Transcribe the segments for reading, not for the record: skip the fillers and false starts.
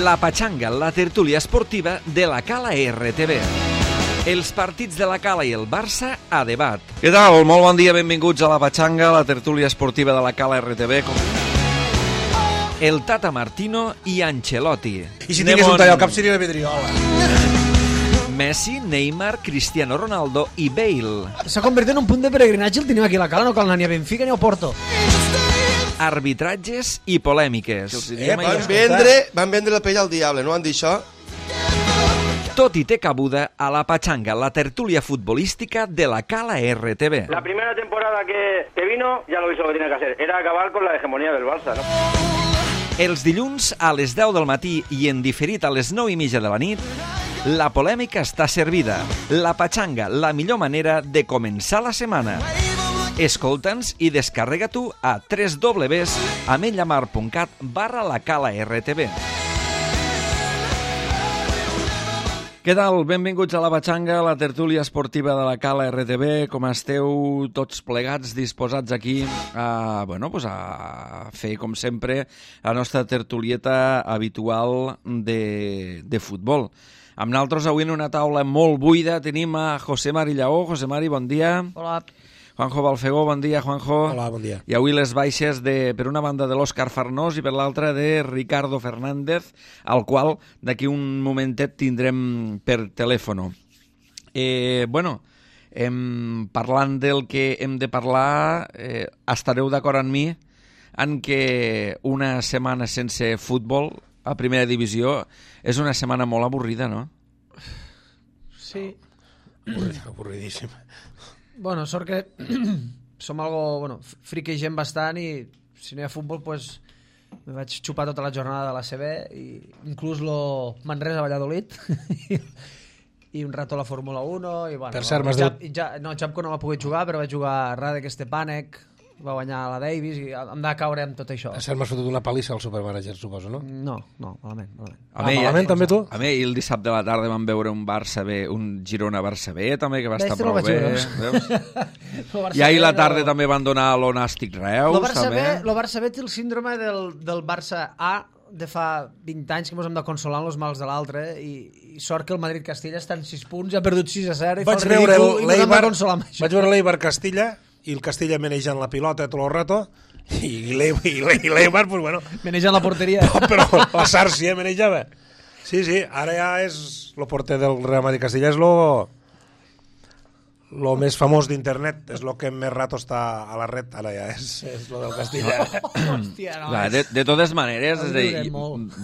La Patxanga, la tertúlia esportiva de la Cala RTV. Els partits de la Cala i el Barça a debat. Què tal? Molt bon dia, benvinguts a la Patxanga, la tertúlia esportiva de la Cala RTV. El Tata Martino i Ancelotti. I si tingués un tall al cap seria la vidriola. Messi, Neymar, Cristiano Ronaldo i Bale. S'ha convertit en un punt de peregrinatge el tenim aquí a la Cala, no cal anar ni a Benfica ni a Porto. Arbitratges i polèmiques. Van vendre la pell al diable, no han dit això? Tot i té cabuda a la Patxanga, la tertúlia futbolística de la Cala RTV. La primera temporada que vino ya lo hizo lo que tenía que hacer, era acabar con la hegemonía del Barça, ¿no? Els dilluns a les 10 del matí i en diferit a les 9:30 de la nit, la polèmica està servida. La Patxanga, la millor manera de començar la setmana. Escolta'ns i descarrega tu a www.ametlllamar.cat/lacala-rtv. Què tal? Benvinguts a la Patxanga, la tertúlia esportiva de la Cala RTV. Com esteu tots plegats, disposats aquí a fer, com sempre, la nostra tertulieta habitual de futbol. Amb nosaltres avui en una taula molt buida tenim a José Mari Lleó. José Mari, bon dia. Hola. Juanjo Balfegó, bon dia, Juanjo. Hola, bon dia. I avui les baixes per una banda de l'Òscar Farnós i per l'altra de Ricardo Fernández, al qual d'aquí un momentet tindrem per telèfon. Parlant del que hem de parlar, estareu d'acord amb mi en que una setmana sense futbol a primera divisió és una setmana molt avorrida, no? Sí. Avorridíssim. Bueno, sort que som algo, friquegem bastant i si no hi ha futbol, pues me vaig xupar tota la jornada de la CB i inclús lo Manresa-Valladolid i un rato la Fórmula 1 i bueno, per cert, Chapko no va poder jugar, però va jugar Radek Stepanek, va guanyar la Davis i em va caure amb tot això. A cert m'has fotut una palissa al supermanager, suposo, no? No, malament. Malament també tu? A mi el dissabte a la tarda vam veure un Barça B, un Girona-Barça B també, que va estar prou bé. I ahir a la tarda també van donar l'Onàstic Reus. El Barça B té el síndrome del Barça A de fa 20 anys que ens hem de consolar amb els mals de l'altre i sort que el Madrid-Castilla està en 6 punts, ha perdut 6-0 i fa el ridícul i ens hem de consolar amb això. Vaig veure l'Eibar-Castilla i el Castilla manejant la pilota tot el rato i l'Eibar, pues bueno... Manejant la porteria. Però la Sàrcia manejava. Sí, ara ja és el porter del Real Madrid Castilla, és lo més famós d'internet, és lo que més rato està a la red, ara ja és lo del Castilla. Hòstia, no. De totes maneres,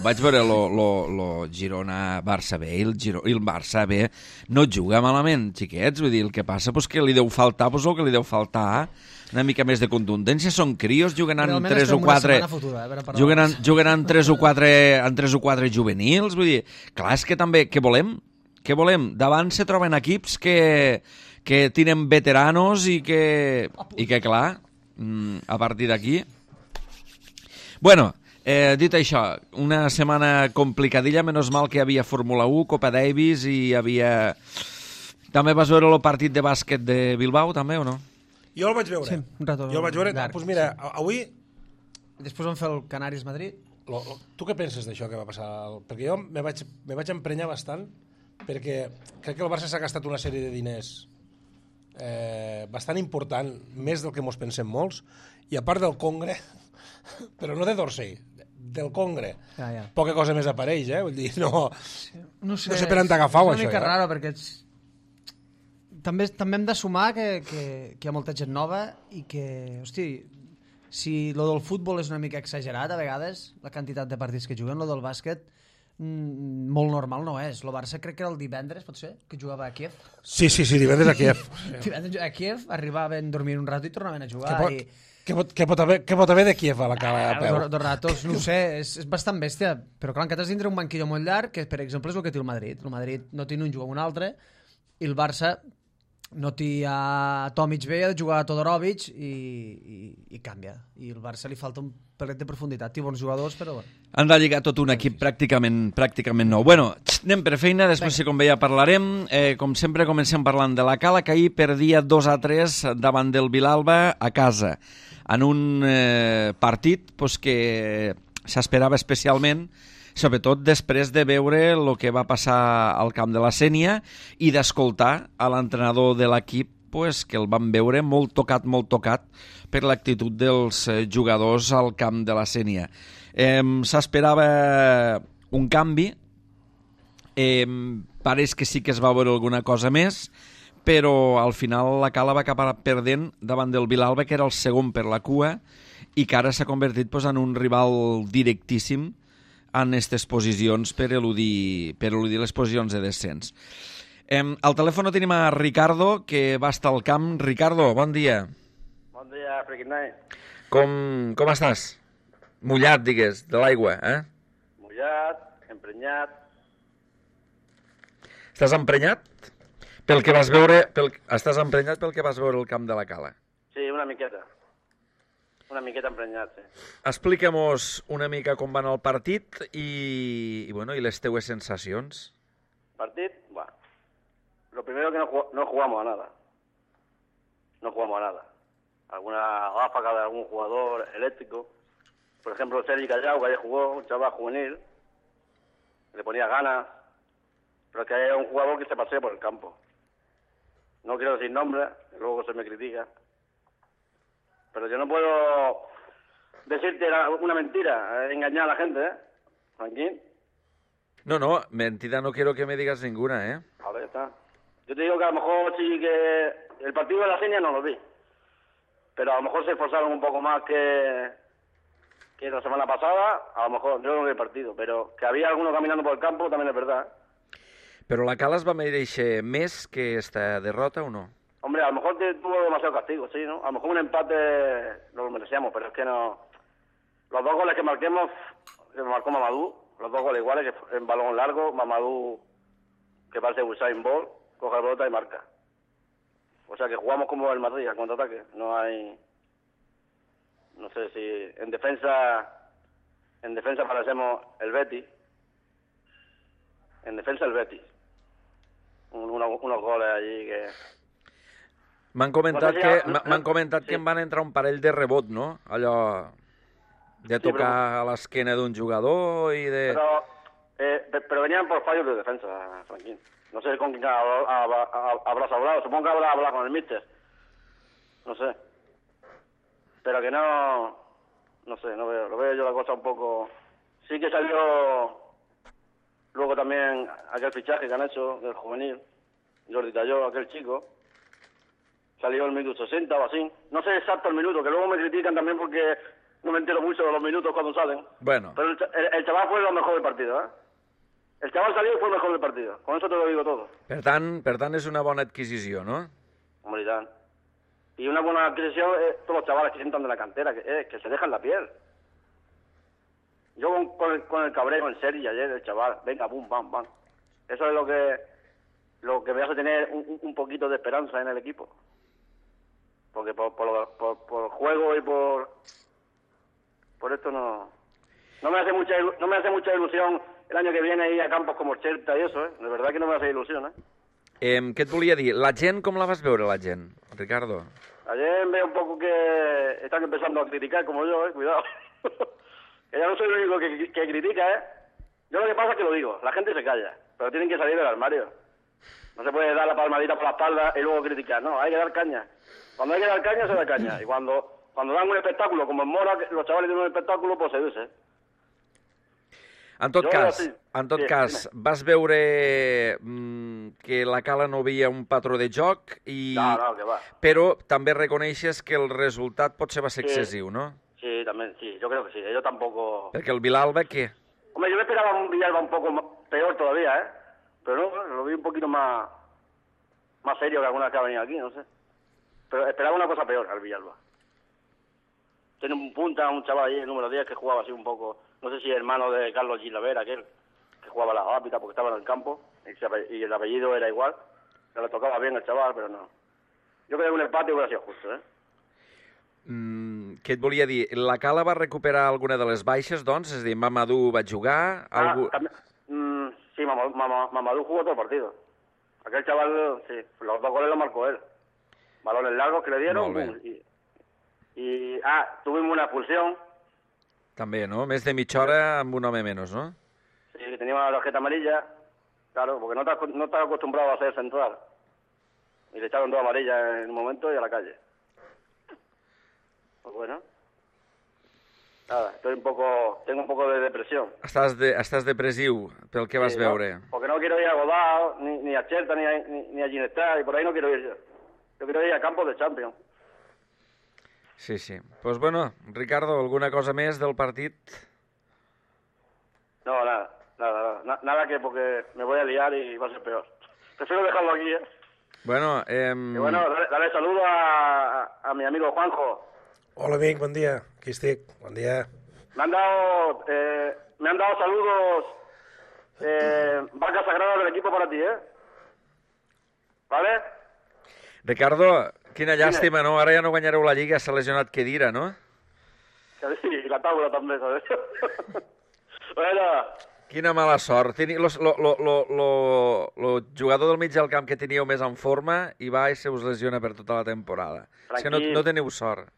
vaig veure lo Girona-Barça B i el Barça B no juga malament, xiquets, vull dir, el que passa és que li deu faltar el que li deu faltar, una mica més de contundència, són crios, juguen en 3 o 4 juguen en 3 o 4 juvenils, vull dir, clar, és que també, què volem? Davant se troben equips que tenen veteranos i que clar, a partir d'aquí... Bueno, dit això, una setmana complicadilla, menys mal que hi havia Fórmula 1, Copa Davis i hi havia... També vas veure el partit de bàsquet de Bilbao, també, o no? Jo el vaig veure. Sí, un rato. Jo el vaig veure. Doncs mira, avui... Després vam fer el Canaris-Madrid. Tu què penses d'això que va passar? Perquè jo me vaig emprenyar bastant perquè crec que el Barça s'ha gastat una sèrie de diners bastant important, més del que mos pensem molts, i a part del Congre, però no de Dorsey, del Congre, poca cosa més apareix, vull dir, no sé per on t'agafau, això. És una mica raro, perquè també hem de sumar que hi ha molta gent nova i que, si lo del futbol és una mica exagerat a vegades, la quantitat de partits que juguen, lo del bàsquet molt normal no és. El Barça crec que era el divendres, pot ser, que jugava a Kiev. Sí, divendres a Kiev. Divendres a Kiev, arribaven, dormien un rato i tornaven a jugar. Què pot haver de Kiev a la Cala a peu? Dos ratos, no ho sé, és bastant bèstia, però clar, encara has dintre un banquillo molt llarg, que per exemple és el que té el Madrid. El Madrid no té un jugar un altre, i el Barça no té a Tomic bé, ha de jugar a Todorovic i canvia. I al Barça li falta un pelet de profunditat. Té bons jugadors, però bueno. Han de lligar tot un equip pràcticament nou. Bueno, anem per feina, després si com veia parlarem. Com sempre comencem parlant de la Cala, que ahir perdia 2-3 davant del Vilalba a casa, en un partit que s'esperava especialment sobretot després de veure el que va passar al camp de la Sénia i d'escoltar a l'entrenador de l'equip pues, que el van veure molt tocat per l'actitud dels jugadors al camp de la Sénia. S'esperava un canvi, pareix que sí que es va veure alguna cosa més, però al final la Cala va acabar perdent davant del Vilalba, que era el segon per la cua, i que ara s'ha convertit pues, en un rival directíssim en aquestes posicions per eludir les posicions de descens. Al telèfon tenim a Ricardo, que va estar al camp. Ricardo, bon dia. Bon dia, Freaking Night. Com estàs? Mullat, digues, de l'aigua, eh? Mullat, emprenyat. Estàs emprenyat? Pel que vas veure... Estàs emprenyat pel que vas veure al camp de la Cala? Sí, una miqueta. Una miqueta emprenyat, sí. Explica'm-nos una mica com va anar el partit i les teues sensacions. Partit, bueno. Lo primero que no jugamos a nada. No jugamos a nada. Alguna ráfaga de algún jugador eléctrico. Por ejemplo, Sergi Callao, que ayer jugó, un chaval juvenil. Le ponía ganas. Pero es que es un jugador que se pasea por el campo. No quiero decir nombres, luego se me critica. Pero yo no puedo decirte una mentira, engañar a la gente, ¿eh? Franquín. No, mentira no quiero que me digas ninguna, ¿eh? A ver, está. Yo te digo que a lo mejor sí que el partido de la Sénia no lo vi. Pero a lo mejor se esforzaron un poco más que la semana pasada. A lo mejor, yo no vi el partido. Pero que había algunos caminando por el campo también es verdad. Però la Cala es va mereixer més que esta derrota o no? Hombre, a lo mejor tuvo demasiado castigo, sí, ¿no? A lo mejor un empate no lo merecíamos, pero es que no... Los dos goles que marquemos, que marcó Mamadou, los dos goles iguales, que en balón largo, Mamadou, que parece Usain Bolt, coge la pelota y marca. O sea que jugamos como el Madrid, al contraataque. No hay... No sé si... En defensa parecemos el Betis. En defensa el Betis. Unos goles allí que... M'han comentat que em van entrar un parell de rebot, no? Allò de tocar a l'esquena d'un jugador i de... Pero venían por fallos de defensa, Franquín. No sé con quién habrás hablado. Supongo que habrás hablado con el míster. No sé. Pero que no... No sé, no veo. Lo veo yo la cosa un poco... Sí que salió... Luego también aquel fichaje que han hecho del juvenil, Jordi Talló, aquel chico, salió el minuto 60 o así. No sé exacto el minuto, que luego me critican también porque no me entero mucho de los minutos cuando salen. Bueno. Pero el chaval fue lo mejor del partido, ¿eh? El chaval salió y fue el mejor del partido. Con eso te lo digo todo. Per tant és una bona adquisició, no? Hombre, y tal. Y una buena adquisición es todos los chavales que entran de la cantera, que se dejan la piel. Yo con el cabreo en serio ayer, el chaval, venga, bum, bam, bam. Eso es lo que me hace tener un poquito de esperanza en el equipo. Porque por juego y por esto no me hace mucha ilusión el año que viene ir a campos como Xerta y eso, ¿eh? De verdad que no me hace ilusión, ¿eh? Què et volia dir? La gent, com la vas veure, la gent, Ricardo? Ayer veo un poco que están empezando a criticar como yo, cuidado. Que ya no soy el único que critica, ¿eh? Yo lo que pasa es que lo digo, la gente se calla, pero tienen que salir del armario. No se puede dar la palmadita por la espalda y luego criticar, no, hay que dar caña. Cuando hay que dar caña, se da caña. Y cuando dan un espectáculo, como en Mora, los chavales tienen un espectáculo, pues se dice. En tot cas, vas veure que la Cala no veia un patró de joc, No, que va. Però també reconeixes que el resultat potser va ser excessiu, no? Sí, también, sí, yo creo que sí. Yo tampoco... Perquè el Vilalba, què? Hombre, yo me esperaba un Villalba un poco peor todavía, ¿eh? Pero no, lo vi un poquito más serio que alguna que ha venido aquí, no sé. Pero esperaba una cosa peor al Villalba. Tiene un punta, un chaval ahí, el número 10, que jugaba así un poco... No sé si hermano de Carlos Gilavera, aquel, que jugaba la rápida porque estaba en el campo, y el apellido era igual. Se le tocaba bien al chaval, pero no. Yo creo que un empate hubiera sido justo, ¿eh? Què et volia dir? La Cala va recuperar alguna de les baixes, doncs? És a dir, Mamadou va jugar... Sí, Mamadou jugó todo el partido. Aquel chaval, sí, los dos goles los marcó él. Balones largos que le dieron. Tuvimos una expulsión. També, no? Més de mitja hora amb un home menys, no? tenía una tarjeta amarilla, claro, porque no estaba acostumbrado a ser central. Y le echaron 2 amarillas en un momento y a la calle. Pues bueno. Nada, tengo un poco de depresión. Estàs depressiu pel que vas veure. ¿no? Porque no quiero ir a Godao, ni a Cherta, ni a Ginestá, y por ahí no quiero ir yo. Yo quiero ir a campos de Champions. Sí. Pues bueno, Ricardo, alguna cosa més del partit? No, nada que porque me voy a liar y va a ser peor. Prefiero dejarlo aquí, ¿eh? Bueno, Y bueno, dale saludo a mi amigo Juanjo. Hola, amic, bon dia. Aquí estic, bon dia. Me han dado saludos vacas sagradas del equipo para ti, ¿eh? ¿Vale? Ricardo, quina llàstima, no? Ara ja no guanyareu la Lliga, s'ha lesionat Khedira, no? Sí, y la tabla también, ¿sabes? Bueno. Quina mala sort. Lo jugador del mig del camp que teníeu més en forma i va i se us lesiona per tota la temporada. És que no teniu sort.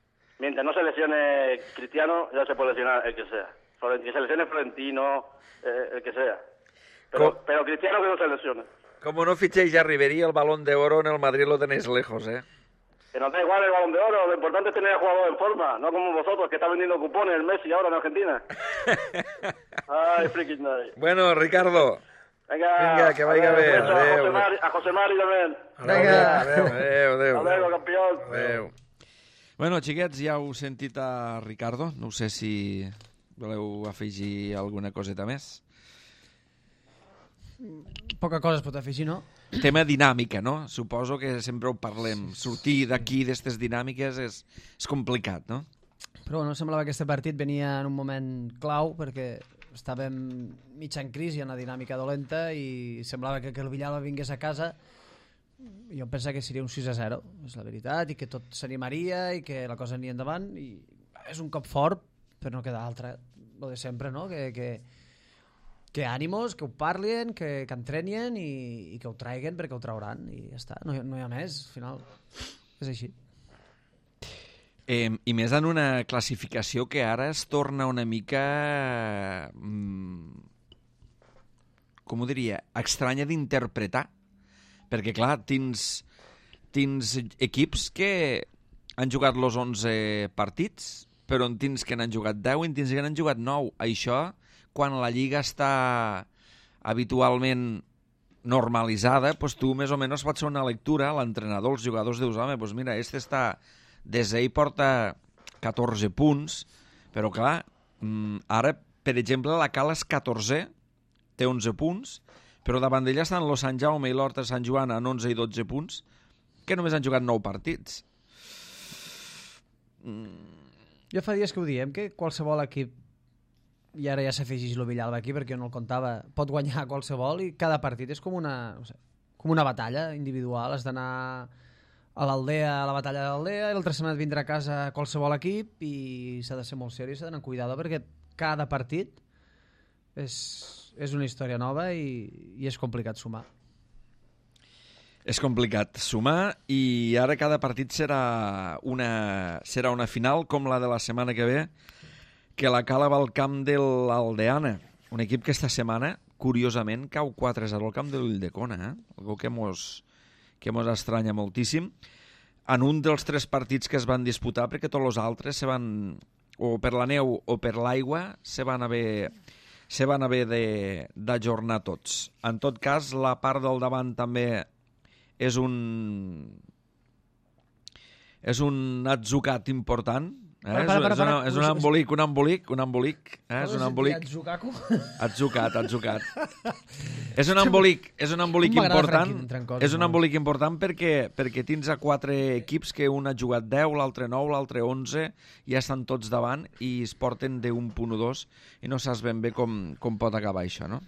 Mientras no se lesione Cristiano, ya se puede lesionar el que sea. Que se lesione Florentino, el que sea. Pero Cristiano que no se lesione. Como no fichéis a Ribery, el Balón de Oro en el Madrid lo tenéis lejos, ¿eh? Que nos da igual el Balón de Oro, lo importante es tener a jugador en forma, no como vosotros que está vendiendo cupones el Messi ahora en Argentina. Ay, freaking night. Bueno, Ricardo. Venga, que vaya bien. A José Mari también. Vinga. Adéu. Adéu, campió. Adéu. Bueno, xiquets, ja heu sentit a Ricardo. No sé si voleu afegir alguna coseta més. Poca cosa es pot afegir, no? Tema dinàmica, no? Suposo que sempre ho parlem. Sortir d'aquí, d'aquestes dinàmiques, és complicat, no? Però bueno, semblava que aquest partit venia en un moment clau perquè estàvem mig en crisi, en una dinàmica dolenta, i semblava que el Villalba vingués a casa. Jo penso que seria un 6-0, és la veritat, i que tot s'animaria i que la cosa aniria endavant. I és un cop fort, però no queda altra. Lo de sempre, no? Que ànimos, que ho parlin, que entrenien i que ho traiguen perquè ho trauran. I ja està, no hi ha més, al final. És així. I més en una classificació que ara es torna una mica... com ho diria? Estranya d'interpretar. Perquè, clar, tens equips que han jugat els 11 partits, però en tens que n'han jugat 10 i en tens que n'han jugat 9. Això, quan la Lliga està habitualment normalitzada, doncs tu més o menys pots fer una lectura, l'entrenador, els jugadors, dius, home, doncs mira, està des d'ahir porta 14 punts, però clar, ara, per exemple, la Cala és 14, té 11 punts, però davant d'ella estan los Sant Jaume i l'Horta Sant Joan en 11 i 12 punts, que només han jugat 9 partits. Jo fa dies que ho diem, que qualsevol equip, i ara ja s'afegeix el Villalba aquí perquè jo no el comptava, pot guanyar qualsevol i cada partit és com una batalla individual. Has d'anar a l'Aldea, a la batalla de l'Aldea, i l'altra setmana et vindrà a casa qualsevol equip i s'ha de ser molt seriós, s'ha d'anar amb cuidado perquè cada partit és una història nova i és complicat sumar. És complicat sumar i ara cada partit serà una final com la de la setmana que ve, que la Cala va al camp de l'Aldeana, un equip que esta setmana, curiosament, cau 4-0 al camp de l'Ulldecona, algo que mos estranya moltíssim, en un dels 3 partits que es van disputar, perquè tots els altres o per la neu o per l'aigua se van haver d'ajornar tots. En tot cas, la part del davant també és un atzucat important. És un embolic. És un embolic. Atzucat. És un embolic important. És un embolic important perquè tens a 4 equips que un ha jugat 10, l'altre 9, l'altre 11, ja estan tots davant i es porten d'un punt o 2 i no saps ben bé com pot acabar això, no?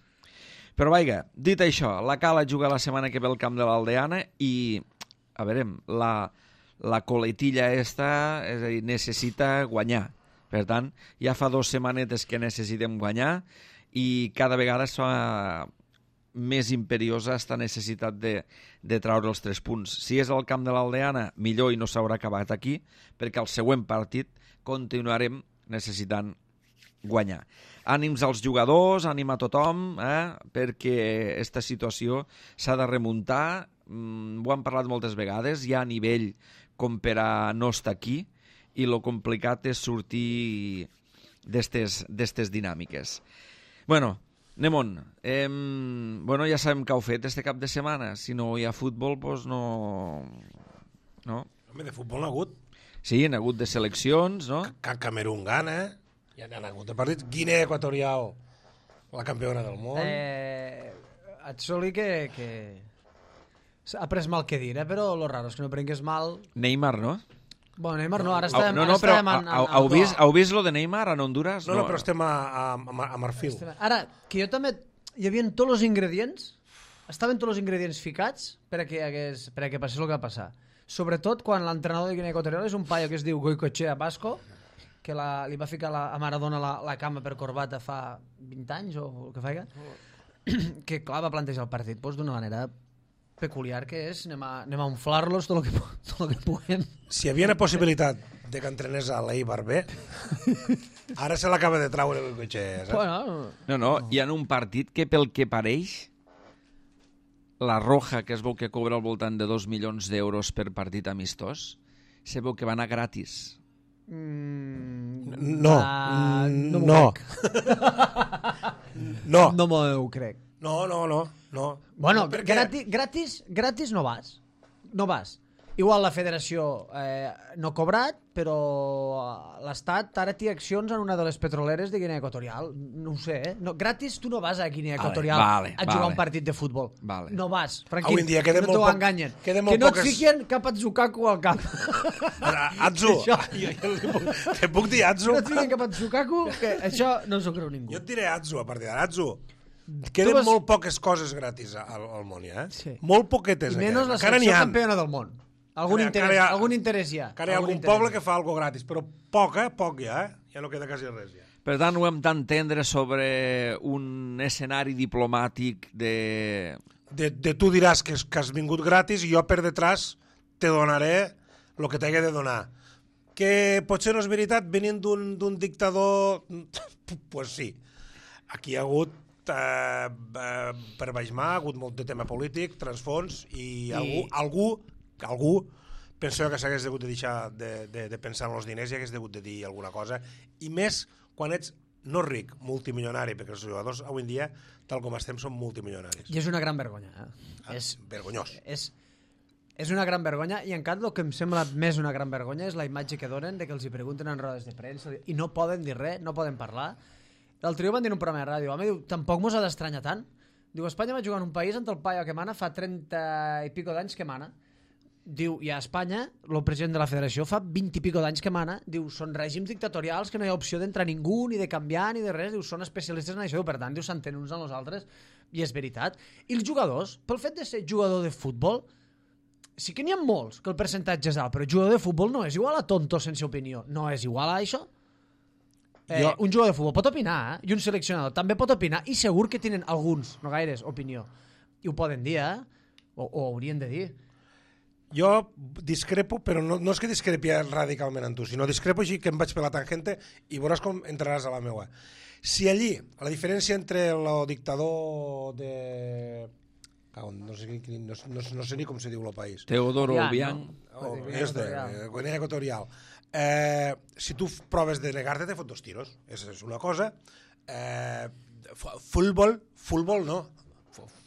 Però vaja, dit això, la Cala juga la setmana que ve al camp de l'Aldeana i, a veure, la coletilla esta, és a dir, necessita guanyar. Per tant, ja fa 2 setmanetes que necessitem guanyar i cada vegada es fa més imperiosa aquesta necessitat de treure els 3 punts. Si és al camp de l'Aldeana, millor i no s'haurà acabat aquí, perquè al següent partit continuarem necessitant guanyar. Ànims als jugadors, ànim a tothom, perquè aquesta situació s'ha de remuntar. Ho han parlat moltes vegades, hi ha nivell com per a no estar aquí, i lo complicat és sortir d'estes dinàmiques. Bueno, anem on. Ja sabem que heu fet este cap de setmana. Si no hi ha futbol, doncs no... Home, de futbol n'ha hagut. Sí, n'ha hagut de seleccions, no? Camerún gana, ja n'ha hagut de partits. Guinea Equatorial, la campiona del món. Et soli que ha pres mal que dir, però lo raro és que no prengués mal... Neymar, no? Bueno, Neymar no, ara estem... Heu vist lo de Neymar en Honduras? No, però estem a Marfil. Ara, que jo també... Hi havia tots els ingredients, estaven tots els ingredients ficats perquè passés el que va passar. Sobretot quan l'entrenador de Guinea Equatorial és un paio que es diu Goicoechea Basco, que li va ficar a Maradona la cama per corbata fa 20 anys o el que faiga, que clar, va plantejar el partit d'una manera peculiar, que és anem a inflar-los tot el que puguem. Si hi havia una possibilitat de que entrenés a l'Eibar B, ara se l'acaba de traure Goicoechea. No, hi ha un partit que pel que pareix la Roja, que es veu que cobra al voltant de 2 milions d'euros per partit amistós, se veu que va anar gratis. No m'ho crec. No. Bueno, gratis no vas. No vas. Igual la federació no ha cobrat, però l'Estat ara té accions en una de les petroleres de Guinea Equatorial. No ho sé, No, gratis tu no vas a Guinea Equatorial a jugar un partit de futbol. No vas, tranquil, que no t'ho enganyen. Que no et fiquen cap Atsukaku al cap. Atsu, te puc dir Atsu? Que no et fiquen cap Atsukaku, que això no s'ho creu ningú. Jo et diré Atsu a partir d'ara. Atsu, queden molt poques coses gratis al món, ja? Molt poquetes. I menys la selecció campiona del món. Algun interès hi ha. Encara hi ha algun poble que fa alguna cosa gratis, però poc ja, ja no queda quasi res. Ja. Per tant, ho hem d'entendre sobre un escenari diplomàtic de tu diràs que has vingut gratis i jo per detrás te donaré el que t'hagi de donar. Que potser no és veritat venint d'un dictador? Pues sí. Aquí hi ha hagut, per baix mà, ha hagut molt de tema polític, transfons, i algú penso que s'hagués hagut de deixar de pensar en els diners i hagués hagut de dir alguna cosa, i més quan ets no ric, multimilionari, perquè els jugadors avui en dia, tal com estem, són multimilionaris. I és una gran vergonya. Vergonyós. És una gran vergonya, i en canvi el que em sembla més una gran vergonya és la imatge que donen de que els hi pregunten en rodes de premsa i no poden dir res, no poden parlar. L'altre dia van dir en un programa de ràdio, home, diu, tampoc mos ha d'estranyar tant. Diu, Espanya va jugar en un país on el paio que mana fa 30 i pico d'anys que mana. Diu, i a Espanya, el president de la federació fa 20 i pico d'anys que mana, diu, són règims dictatorials que no hi ha opció d'entrar ningú, ni de canviar, ni de res, diu, són especialistes en això, per tant, diu, s'entenen uns amb els altres, i és veritat. I els jugadors, pel fet de ser jugador de futbol, sí que n'hi ha molts, que el percentatge és alt, però jugador de futbol no és igual a tonto sense opinió, no és igual a això. Un jugador de futbol pot opinar, i un seleccionador també pot opinar, i segur que tenen alguns, no gaires, opinió. I ho poden dir, o haurien de dir. Jo discrepo, però no és que discrepi radicalment amb tu, sinó discrepo així que em vaig per la tangente i veuràs com entraràs a la meua. Si allí, la diferència entre el dictador de... No sé ni com se diu el país. Teodoro Obiang. Guinea Equatorial. Si tu proves de negar-te, te fot 2 tiros. És una cosa. Futbol no.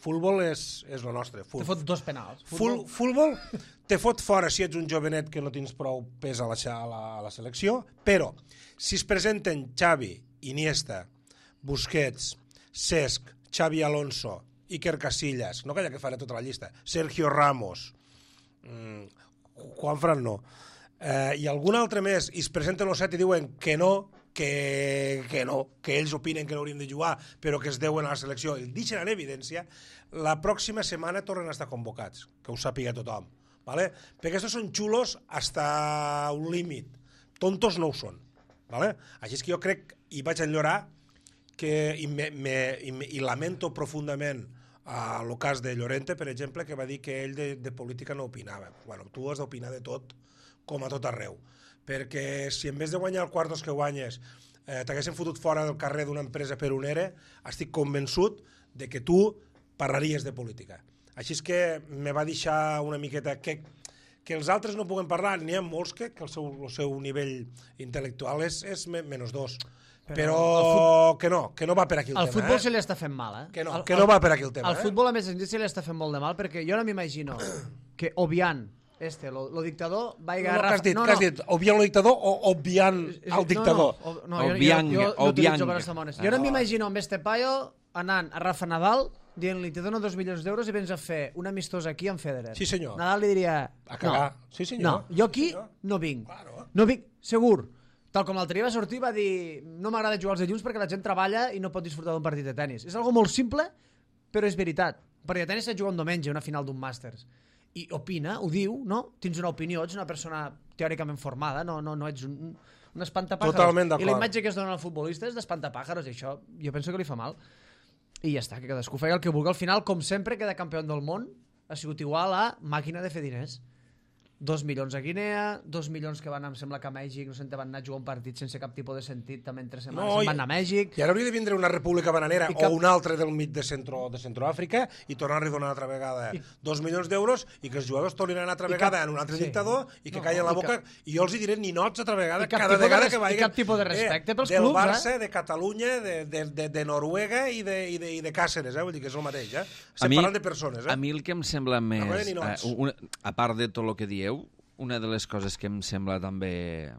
Futbol és el nostre. Te fot 2 penals. Futbol te fot fora si ets un jovenet que no tens prou pes a la selecció, però si es presenten Xavi, Iniesta, Busquets, Cesc, Xavi Alonso, Iker Casillas, no calla que faré tota la llista, Sergio Ramos, Juanfran no, i algun altre més, i es presenten els 7 i diuen que no, que ells opinen que no hauríem de jugar, però que es deuen a la selecció, i el deixen en evidència, la pròxima setmana tornen a estar convocats, que ho sàpiga tothom, ¿vale? Perquè estos són xulos hasta un límit, tontos no ho són, ¿vale? Així és que jo crec, i vaig enllorar, i lamento profundament el cas de Llorente, per exemple, que va dir que ell de política no opinava. Bueno, tu has d'opinar de tot, com a tot arreu, perquè si en vez de guanyar el quartos que guanyes t'haguessin fotut fora del carrer d'una empresa per un ERE, estic convençut de que tu parlaries de política. Així és que me va deixar una miqueta que els altres no puguen parlar, n'hi ha molts que el seu nivell intel·lectual és -2. Però que no va per aquí el tema. Al futbol se li està fent mal, Que no va per aquí el tema. Al futbol, a més, se li està fent molt de mal, perquè jo no m'imagino que obviant lo dictador va No, què has dit? Obviant lo dictador o obviant el dictador? No, jo utilitzo per estamones. Jo no m'imagino amb este paio anant a Rafa Nadal dient-li, te dono 2 milions d'euros i vens a fer un amistós aquí amb Federer. Sí, senyor. Nadal li diria... A cagar. Sí, senyor. No, jo aquí no vinc. Claro. No vinc, segur. Tal com l'altre dia va sortir, va dir no m'agrada jugar als dilluns perquè la gent treballa i no pot disfrutar d'un partit de tennis. És algo molt simple, però és veritat. Un partit de tennis s'ha de jugar un diumenge, una final d'un màsters. I opina, ho diu, no? Tens una opinió, ets una persona teòricament formada, no ets un espantapàjaros. Totalment d'acord. I la imatge que es dona al futbolista és d'espantapàjaros, i això jo penso que li fa mal. I ja està, que cadascú feia el que vulgui. Al final, com sempre, queda campió del món ha sigut igual a màquina de fer diners. 2 milions a Guinea, 2 milions que van, em sembla que a Mèxic, no sé, van anar a jugar un partit sense cap tipus de sentit, també en 3 setmanes van anar a Mèxic. I ara hauria de vindre una república bananera o una altra del mig de Centroàfrica i tornar-li a donar una altra vegada 2 milions d'euros i que els jugadors tornin a anar altra vegada en un altre dictador i que callen la boca. I jo els hi diré ninots altra vegada, cada vegada que vagin. I cap tipus de respecte pels clubs, del Barça, de Catalunya, de Noruega i de Càceres, vull dir que és el mateix. Estem parlant de persones. A mi el que em sembla més, a part de tot el que dieu, una de les coses que em sembla també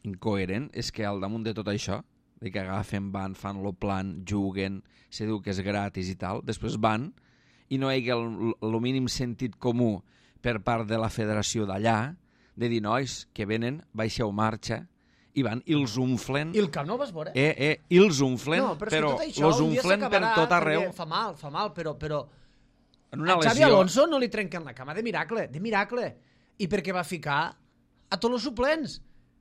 incoherent és que al damunt de tot això, de que agafen, van, fan lo plan, juguen, se diu que és gratis i tal, després van i no hi ha el mínim sentit comú per part de la federació d'allà de dir, nois, que venen, baixeu marxa, i van, i els umflen... I el Camp Nou vas veure? I els umflen, però els umflen per tot arreu. Fa mal, però... A Xavi Alonso no li trenquen la cama de miracle. I per què va ficar a tots els suplents?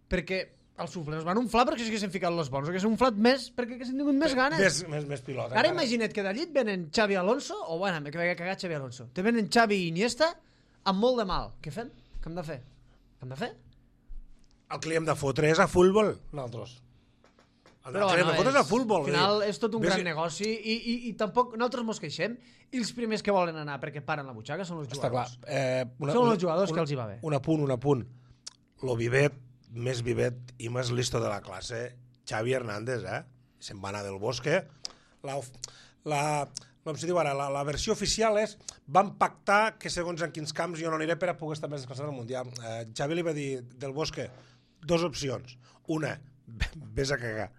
Perquè els suplents van unflar perquè s'haguessin ficat els bons, haguessin unflat més perquè haguessin tingut més ganes. Més pilota. Ara imagina't que d'allí et venen Xavi Alonso, o bueno, que vaig a cagar Xavi Alonso, te venen Xavi i Iniesta amb molt de mal. Què fem? Què hem de fer? El que li hem de fotre és a futbol, nosaltres. Però bueno, al final és tot un gran negoci i tampoc nosaltres mos queixem i els primers que volen anar perquè paren la butxaca són els jugadors. Són els jugadors que els hi va bé. Un apunt. Lo vivet, més vivet i més listo de la classe, Xavi Hernández, se'n va anar del Bosque. Com se diu ara, la versió oficial és van pactar que segons en quins camps jo no aniré per a poder estar més descansat al Mundial. Xavi li va dir del Bosque 2 opcions. Una, vés a cagar.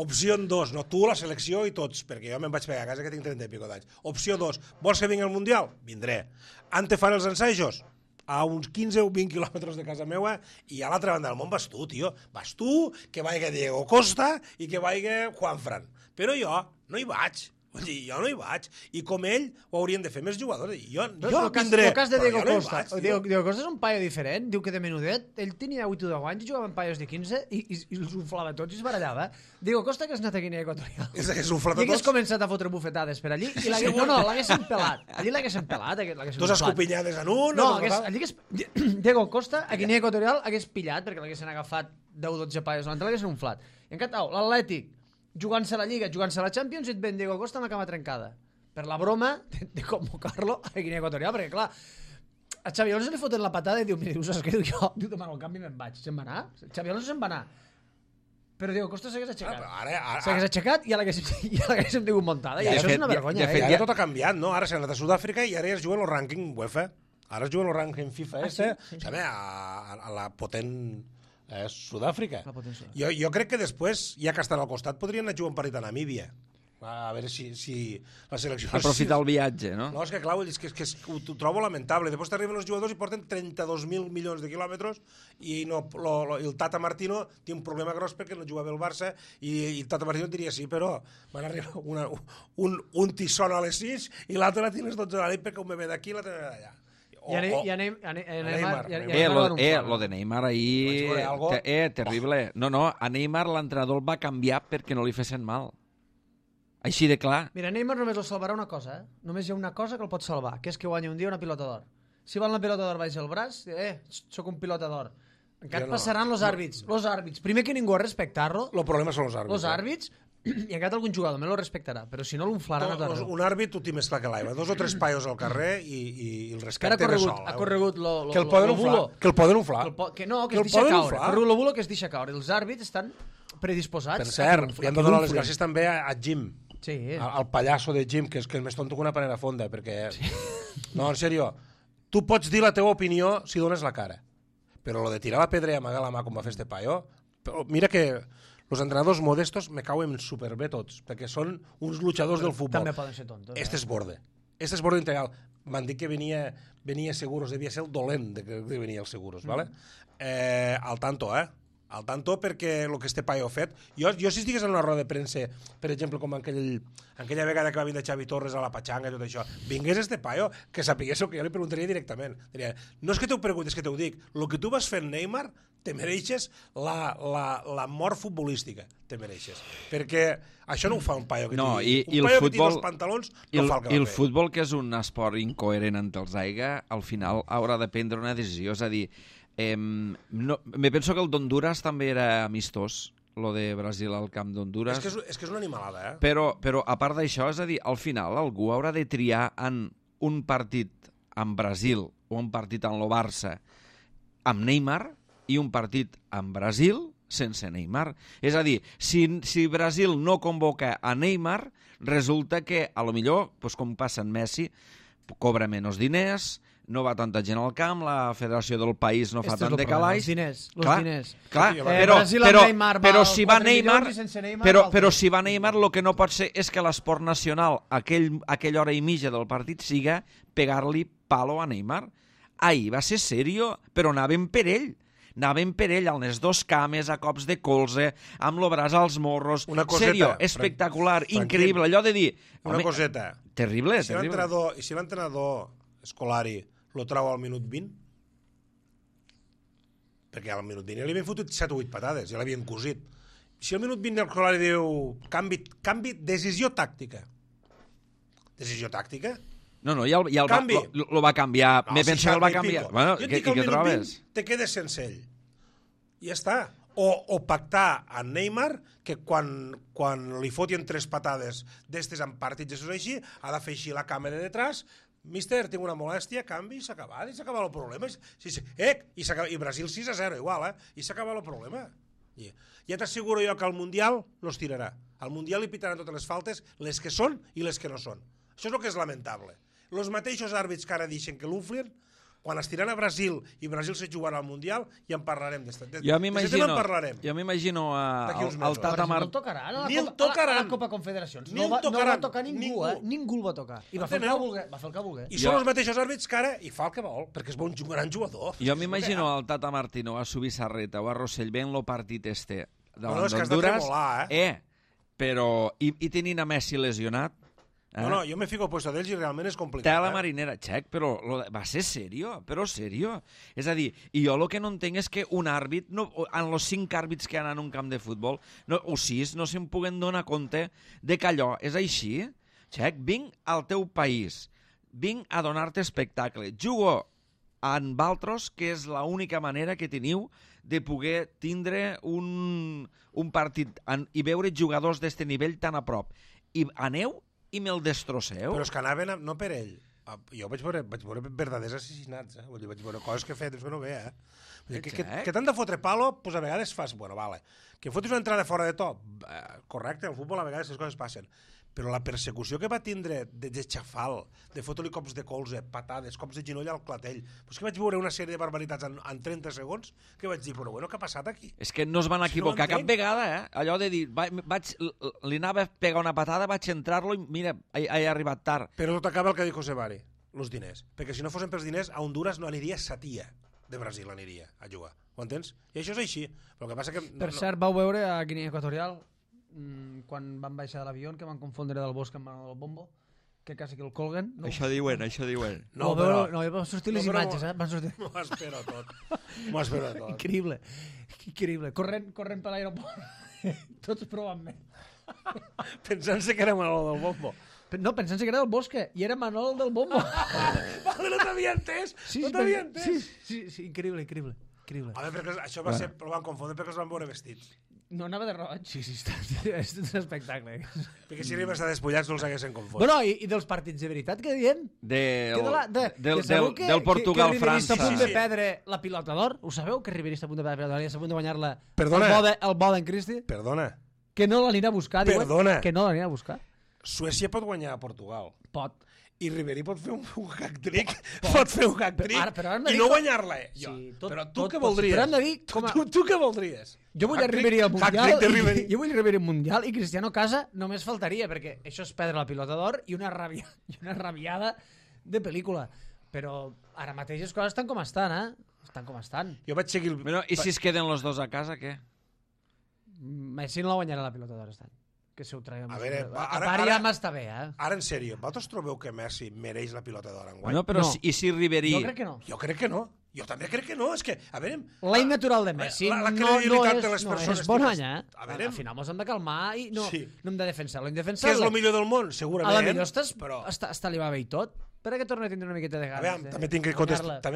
Opció 2, no, tu, la selecció i tots, perquè jo me'n vaig pegar a casa que tinc 30 i pico d'anys. Opció 2, vols que vingui al Mundial? Vindré. Han de fer els ensajos? A uns 15 o 20 quilòmetres de casa meua i a l'altra banda del món vas tu, tio. Vas tu, que vaiga Diego Costa i que vaiga Juanfran. Però jo no hi vaig. Vull dir, jo no hi vaig. I com ell ho haurien de fer més jugadors. Jo vindré. El cas de Diego Costa. Diego Costa és un paio diferent. Diu que de menudet. Ell tenia 8 o 10 anys i jugava amb paios de 15 i els uflava tots i es barallava. Diego Costa que has anat a Guinea Equatorial. És que s'ufla tots. I hagués començat a fotre bufetades per allí i l'haguessin pelat. Allí l'haguessin pelat. Dos escopinyades en un. No, Diego Costa a Guinea Equatorial hagués pillat perquè l'haguessin agafat 10-12 paios davant, l'haguessin unflat. I en canvi, l'Atlètic jugant-se a la Lliga, jugant-se a la Champions, i et ven Diego Costa amb la cama trencada. Per la broma de convocar-lo a Guinea Equatorial, perquè clar, a Xavi Alonso li foten la patada i diu, mira, saps què? Diu, demano el canvi i me'n vaig. Se'n va anar? Xavi Alonso se'n va anar. Però Diego Costa s'hagués aixecat. S'hagués aixecat i ja l'haguéssim tingut muntada. I això és una vergonya. Ja tot ha canviat, no? Ara s'ha anat a Sud-àfrica i ara es juguen el rànquing UEFA. Ara es juguen el rànquing FIFA. A la potent... Sud-àfrica. Jo crec que després, ja que estan al costat, podrien anar a jugar un partit a Namíbia. A veure si la selecció... Aprofitar el viatge, no? No, és que clar, és que ho trobo lamentable. Després t'arriben els jugadors i porten 32.000 milions de quilòmetres i el Tata Martino té un problema gros perquè no juga bé el Barça i el Tata Martino diria sí, però van arribar un tissón a les 6 i l'altre la tienes 12 a la nit perquè un bebè d'aquí i l'altre d'allà. Lo de Neymar ahir... Terrible. No, a Neymar l'entrenador el va canviar perquè no li fessin mal. Així de clar. Mira, Neymar només el salvarà una cosa, Només hi ha una cosa que el pot salvar, que és que guanya un dia una pilota d'or. Si van la pilota d'or baix el braç, soc un pilota d'or. Encara passaran els àrbits. Els àrbits. Primer que ningú a respectar-lo. El problema són els àrbits. Els àrbits, i encara algun jugador me lo respectarà, però si no l'unflaran a tot arreu. Un àrbit ho té més clar que l'aigua. 2 o 3 paios al carrer i el respecte de sol. Ha corregut que el poden unflar. Que el poden unflar. Que es deixa caure. Ha corregut lo bulo que es deixa caure. Els àrbits estan predisposats. Per cert, li hem de donar les gràcies també a Jim. Sí. Al pallasso de Jim, que és el més tonto que una panera fonda, perquè... No, en sèrio, tu pots dir la teva opinió si dones la cara, però lo de tirar la pedra i amagar la mà com va fer este paio, mira que els entrenadors modestos me cauen superbé tots, perquè són uns luchadors del futbol. També poden ser tontos. Este és borde. Este és borde integral. M'han dit que venia Seguros, devia ser el dolent que venia els Seguros, ¿vale? Al tanto, al tanto, perquè el que este paio ha fet... Jo si estigués en una roda de premsa, per exemple, com aquella vegada que va vindre Xavi Torres a la Pachanga i tot això, vingués este paio, que sapigués el que jo li preguntaria directament. Diria, no és que t'ho preguntes, és que t'ho dic. El que tu vas fer en Neymar, te mereixes la mort futbolística. Te mereixes. Perquè això no ho fa un paio que tingui. Un paio que tingui els pantalons no fa el que va fer. I el futbol, que és un esport incoherent entre els aiga, al final haurà de prendre una decisió. És a dir, me penso que el d'Honduras també era amistós, lo de Brasil al camp d'Honduras. És que és una animalada, Però a part d'això, és a dir, al final algú haurà de triar en un partit amb Brasil o un partit amb el Barça amb Neymar i un partit amb Brasil sense Neymar. És a dir, si Brasil no convoca a Neymar, resulta que, a lo millor, com passa en Messi, cobra menys diners, no va tanta gent al camp, la federació del país no fa tant de calaix. Els diners. Clar, però si va Neymar, però si va Neymar, el que no pot ser és que l'esport nacional, aquella hora i mitja del partit, siga pegar-li palo a Neymar. Ahir va ser serio, però anaven per ell. Anaven per ell, amb les 2 cames, a cops de colze, amb el braç als morros. Serio, espectacular, increïble. Allò de dir... Una coseta. Terrible, I si l'entrenador Scolari lo trau al minut 20? Perquè al minut 20 li havien fotut 7 o 8 patades, ja l'havien cosit. Si al minut 20 el Scolari diu canvi, decisió tàctica. Decisió tàctica? No, ja el va canviar. Me penso que el va canviar. Bueno, jo et dic que al minut 20 te quedes sense ell. I ja està. O pactar amb Neymar que quan li fotien 3 patades d'estes en partits així, ha de fer així la cama de detrás. Míster, tinc una molèstia, canvi, s'ha acabat, i s'ha acabat el problema. I Brasil 6-0 igual, i s'ha acabat el problema. Ja t'asseguro jo que al Mundial no es tirarà. Al Mundial li pitaran totes les faltes, les que són i les que no són. Això és el que és lamentable. Els mateixos àrbits que ara deixen que l'unflien, quan es tiran a Brasil i Brasil se jugarà al Mundial, ja en parlarem. Jo m'imagino al Tata Martino. Ni el tocaran. A la Copa Confederacions. No va tocar ningú. Ningú el va tocar. I va fer el que volgué. I són els mateixos àrbits que ara i fa el que vol, perquè és un gran jugador. Jo m'imagino al Tata Martino a Subisarreta o a Rossell veient el partit este davant d'Honduras, però i tenint a Messi lesionat. No, jo me fico al puesto d'ells i realment és complicat. Té la marinera, xec, però va ser serio, És a dir, i jo el que no entenc és que un àrbit, en els 5 àrbits que hi ha en un camp de futbol, o 6, no se'n puguen donar compte de que allò és així. Xec, vinc al teu país, vinc a donar-te espectacle, jugo amb altres, que és l'única manera que teniu de poder tindre un partit i veure jugadors d'este nivell tan a prop. I aneu i me'l destrosseu. Però és que anaven no per ell. Jo vaig veure verdaders assassinats, vaig veure coses que he fet, és que no ve, que t'han de fotre palo, doncs a vegades fas, bueno, vale, que fotis una entrada fora de to, correcte, al futbol a vegades les coses passen, però la persecució que va tindre de xafal, de fotre-li cops de colze, patades, cops de ginoll al clatell, doncs que vaig veure una sèrie de barbaritats en 30 segons, que vaig dir, però bueno, què ha passat aquí? És que no es van equivocar cap vegada, allò de dir, li anava a pegar una patada, vaig entrar-lo i mira, he arribat tard. Però tot acaba el que diu José Mari, els diners, perquè si no fossin pels diners, a Honduras no aniria Satia de Brasil, aniria a jugar, ho entens? I això és així, però el que passa que... Per cert, vau veure a Guinea Equatorial quan van baixar de l'avió, que van confondre del bosc amb el bombo, que quasi que el colguen. No? Això diuen. No, van sortir les imatges, van sortir. M'ho espero tot. Increïble. Corrent per l'aeroport. Tots provant-me. Pensant-se que era Manol del bombo. No, pensant-se que era del Bosque, i era Manol del bombo. Vale, no t'havia entès. No t'havia entès. Sí, increïble. increïble. A veure, perquè això va ser, però van confondre perquè els van veure vestits. No anava de roig, sí, és un espectacle. Perquè si arriben a estar despullats no els haguessin confós. Bueno, i dels partits de veritat que diem? Del Portugal-França. Que Ribéry està a punt de perdre la pilota d'or. Ho sabeu, que Ribéry està a punt de perdre la pilota d'or i està a punt de guanyar-la el Boden Christie? Perdona. Que no l'anirà a buscar, diuen. Perdona. Que no l'anirà a buscar. Suècia pot guanyar a Portugal. Pot. I Ribéry pot fer un hack-trick. Pot fer un hack-trick i no guanyar-la. Sí, però tu què voldries? Però hem de dir... Tu què voldries? Jo vull Ribéry al Mundial. Jo vull Ribéry al Mundial i Cristiano Casa només faltaria, perquè això és perdre la pilota d'or i una rabiada de pel·lícula. Però ara mateix les coses estan com estan, Estan com estan. Jo vaig seguir... Bueno, i si es queden los dos a casa, què? Messi no la guanyarà la pilota d'or, estan. Que se ho traiem. A veure, a part ja m'està bé, Ara, en sèrio, vosaltres trobeu que Messi mereix la pilota d'or enguany? Bueno, però no. I si Ribéry... Jo crec que no. Jo crec que no. Jo també crec que no. És que, a veure... La innatural de Messi la credibilitat de les no persones... és bon any, A veure... Al final mos hem de calmar i no hem de defensar-lo. Que és el millor del món, segurament. A la millor està li va bé i tot. Per què torna a tindre una miqueta de ganes? A veure, també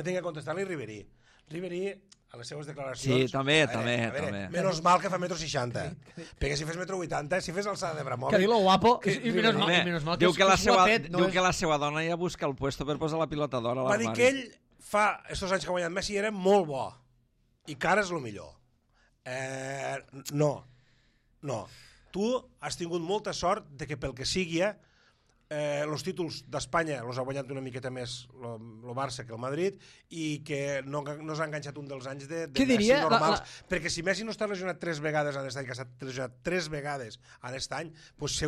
tinc que contestar-li Ribéry. Ribéry, a les seves declaracions... Sí, també. Menys mal que fa 1,60 m. Perquè si fes 1,80 m, si fes alçada de Bramovic... Que dir-lo guapo... I menys mal que diu que la seva dona ja busca el puesto per posar la pilota d'or a l'armari. Va dir que ell, fa estos anys que ha guanyat Messi, era molt bo. I que ara és el millor. No. Tu has tingut molta sort de que pel que sigui... els títols d'Espanya els ha guanyat una miqueta més el Barça que el Madrid i que no s'ha enganxat un dels anys de Messi normals. Perquè si Messi no està lesionat 3 vegades en aquest any, que s'ha lesionat 3 vegades en aquest any, doncs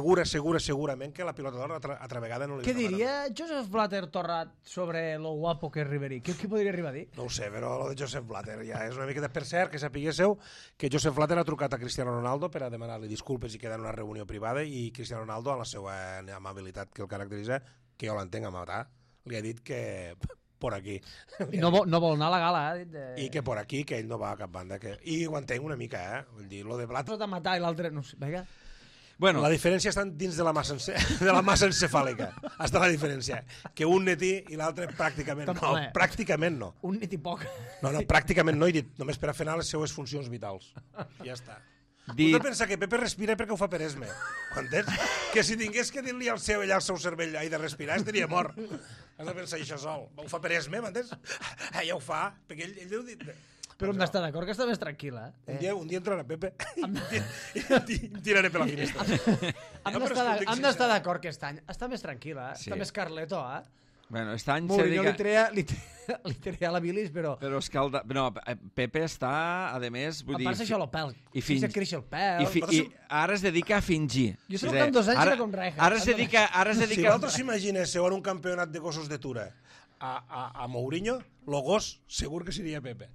segurament que la pilota d'or altra vegada no li... Què diria Joseph Blatter Torrat sobre lo guapo que és Ribéry? Què podria arribar a dir? No ho sé, però lo de Joseph Blatter ja és una miqueta... Per cert, que sapiguéssiu que Joseph Blatter ha trucat a Cristiano Ronaldo per a demanar-li disculpes i quedar en una reunió privada i Cristiano Ronaldo, a la seva amabilitat que el caracteritza, que jo l'entenc a matar, li ha dit que por aquí. I no vol anar a la gala, I que por aquí, que ell no va a cap banda. I ho entenc una mica, Vull dir, lo de Blatter... de matar i l'altre, no sé, vinga. Bueno, la diferència està dins de la massa encefàlica. Està la diferència. Que un netí i l'altre pràcticament no. Pràcticament no. Un netí poc. No, pràcticament no, he dit, només per a fer anar les seues funcions vitals. Ja està. Dit... Tu pensa que Pepe respira perquè ho fa per esme. Entens? Que si tingués que dir-li al seu cervell de respirar, estaria mort. Has de pensar això sol. Ho fa per esme, m'entens? Ja ho fa, perquè ell deu dir... Però hem d'estar d'acord que està més tranquil·la. Un dia entrarà Pepe i em tiraré per la finestra. Hem d'estar d'acord que aquest any està més tranquil·la, està més Carleto, Bueno, aquest any Mourinho li treia la bilis, però... Però escalda... No, Pepe està, a més... A part això el pèl. I se creix el pèl. I ara es dedica a fingir. Jo sé que en 2 anys era com Rijkaard. Ara es dedica... Si vosaltres imaginéssiu en un campionat de gossos de Tura a Mourinho, el gos segur que seria Pepe.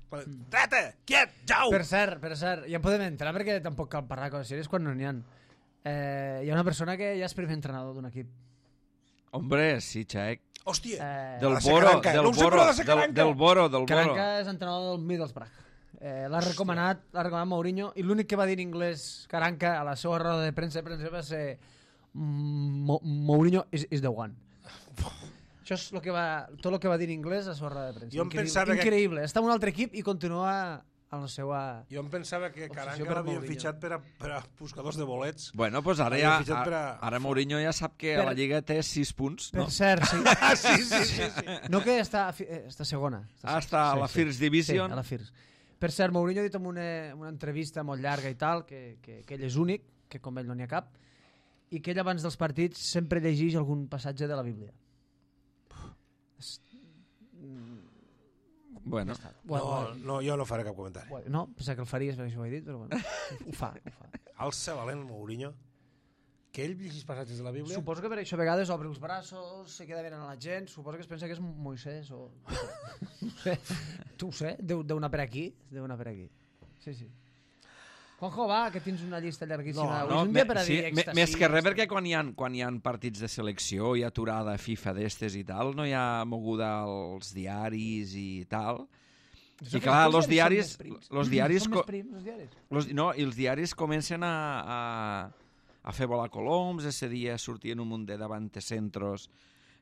Trata, quiet, jau! Per cert, ja en podem entrar perquè tampoc cal parlar coses sèries quan no n'hi ha. Hi ha una persona que ja és primer entrenador d'un equip. Hombre, sí, Xec. Hòstia, del Boro. Caranca és entrenador del Middlesbrough. L'ha recomanat Mourinho i l'únic que va dir en anglès Caranca a la seva roda de premsa va ser Mourinho is the one. Això és tot el que va dir en anglès a la seva roda de premsa. Increïble. Està en un altre equip i continua a la seva... Jo em pensava que Caranca l'havien fitxat per a buscadors de bolets. Bueno, doncs ara Mourinho ja sap que a la Lliga té 6 punts. Per cert, sí. Sí. No, que està segona. Està a la First Division. Sí, a la First. Per cert, Mourinho ha dit en una entrevista molt llarga i tal que ell és únic, que com ell no n'hi ha cap, i que ell abans dels partits sempre llegeix algun passatge de la Bíblia. Bueno. No, jo no faré cap comentari. No, pensava que el faries perquè això ho he dit, però bueno, ho fa. Alça valent Mourinho, que ell llegís passatges de la Bíblia. Suposo que per això a vegades obre els braços, se queda mirant a la gent, suposo que es pensa que és Moisès o... No sé, tu ho sé, deu anar per aquí. Sí. Juanjo, va, que tens una llista llarguíssima. No, més que res perquè quan hi ha partits de selecció, hi ha aturada FIFA d'estes i tal, no hi ha moguda als diaris i tal. I clar, els diaris... Són més prims, els diaris? No, i els diaris comencen a fer volar coloms, ese dia sortien un munt de davantecentros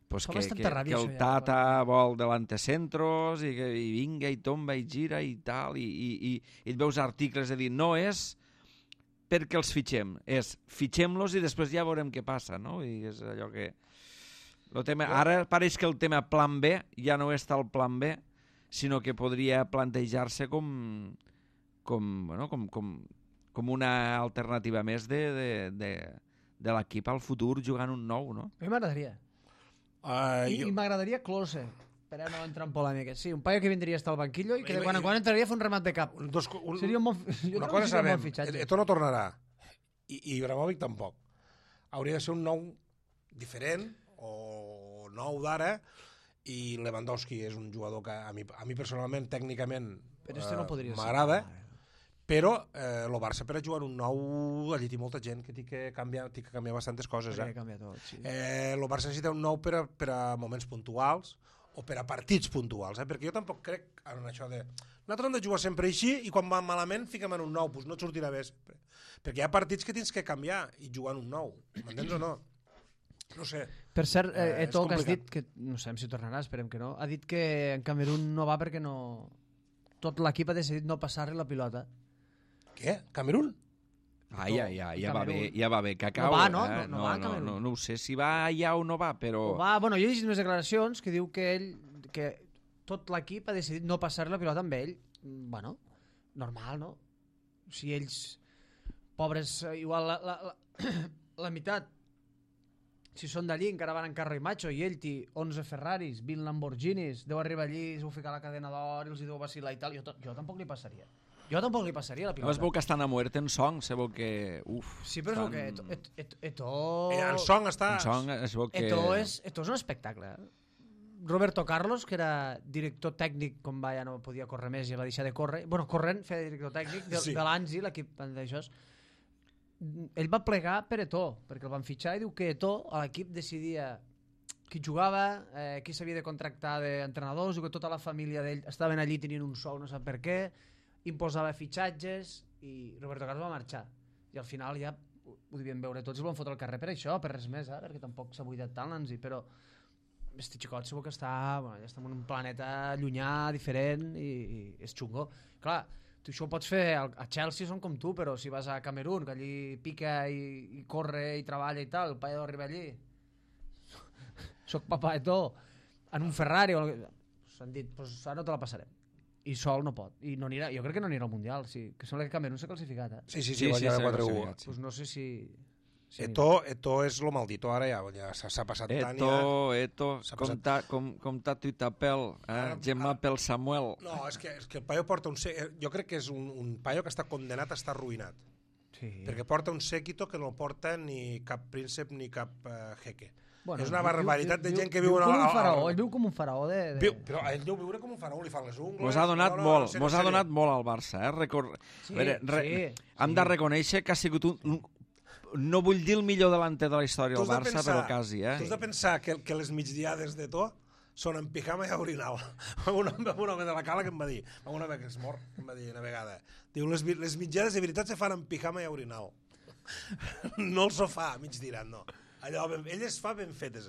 pues Fa que bastanta ràbia, el això, ja, Tata vol delantecentros i vinga i tomba i gira i tal, i et veus articles de dir no és perquè els fitxem, és fitxem-los i després ja veurem què passa, no? I és allò que... Ara pareix que el tema plan B ja no és tal plan B, sinó que podria plantejar-se com una alternativa més de l'equip al futur jugant un nou, no? A mi m'agradaria. I m'agradaria Klose, per no entrar en polèmiques. Sí, un paio que vindria a estar al banquillo i que quan entraria a fer un remat de cap. Seria un bon, una cosa sabem, Eto'o no tornarà i Ibrahimovic tampoc. Hauria de ser un nou diferent o nou d'ara, i Lewandowski és un jugador que a mi personalment, tècnicament, m'agrada, però el Barça per a jugar un nou allí té molta gent que té que canviar bastantes coses. El Barça necessita un nou per a moments puntuals o per a partits puntuals, perquè jo tampoc crec en això de nosaltres hem de jugar sempre així i quan va malament fiquem en un nou, doncs no et sortirà bé sempre, perquè hi ha partits que tens que canviar i jugar en un nou, m'entens o no? No sé. Per cert, Eto'o, que has dit que no sabem si tornarà, esperem que no, ha dit que en Camerún no va perquè no... tot l'equip ha decidit no passar-li la pilota. Què? Camerún? Ja va bé, Cacau. No va, no? No va a Camerún. No ho sé si va allà o no va, però... Bueno, jo he llegit unes declaracions que diu que ell, que tot l'equip ha decidit no passar la pilota amb ell. Bueno, normal, no? Si ells, pobres, igual la meitat, si són d'allí encara van en carro i macho i ell té 11 Ferraris, 20 Lamborghinis, deu arribar allí, es deu ficar la cadena d'or i els hi deu vacilar i tal, jo tampoc li passaria. Jo tampoc li passaria la pilota. No es veu que estan a muerte en Song, se veu que... Sí, però es veu que Eto'o... En Song està... En Song es veu que... Eto'o és un espectacle. Roberto Carlos, que era director tècnic, com va, ja no podia córrer més, ja va deixar de córrer. Bueno, corrent, feia director tècnic de l'Anzi, l'equip d'això. Ell va plegar per Eto'o, perquè el van fitxar i diu que Eto'o, a l'equip, decidia qui jugava, qui s'havia de contractar d'entrenadors, i que tota la família d'ell estaven allí tenint un sou, no sap per què, imposava fitxatges i Roberto Carlos va marxar. I al final ja ho devien veure tots i el van fotre al carrer per això, per res més, perquè tampoc s'ha buidat tant l'Anzi, però este xicot segur que està en un planeta llunyà, diferent i és xungo. Clar, tu això ho pots fer a Chelsea, són com tu, però si vas a Camerún, que allí pica i corre i treballa i tal, el paio arriba allí soc papà de tot en un Ferrari s'han dit, doncs ara no te la passarem i sol no pot, i no anirà, jo crec que no anirà al Mundial, sí, que sembla que Camerún s'ha classificat, Sí, va llegar 4-1. Doncs no sé si Eto'o és lo maldito, ara ja s'ha passat tant ja. Com tu t'apel, Gemma pel Samuel. No, és que el paio porta jo crec que és un paio que està condenat a estar arruïnat, perquè porta un séquito que no porta ni cap príncep ni cap jeque. És una barbaritat de gent que viu com un faraó, ell viu com un faraó però ell deu viure com un faraó, li fan les ungles. Mos ha donat molt al Barça, hem de reconèixer que ha sigut no vull dir el millor delanter de la història del Barça, però quasi, Tu has de pensar que les migdiades d'Eto'o són en pijama i a orinal. Un home de la Cala que em va dir, un home que és mort, que em va dir una vegada, diu, les migdiades de veritat se fan en pijama i a orinal. No el sofà, mig tirant, no. Allò, ell es fa ben fetes,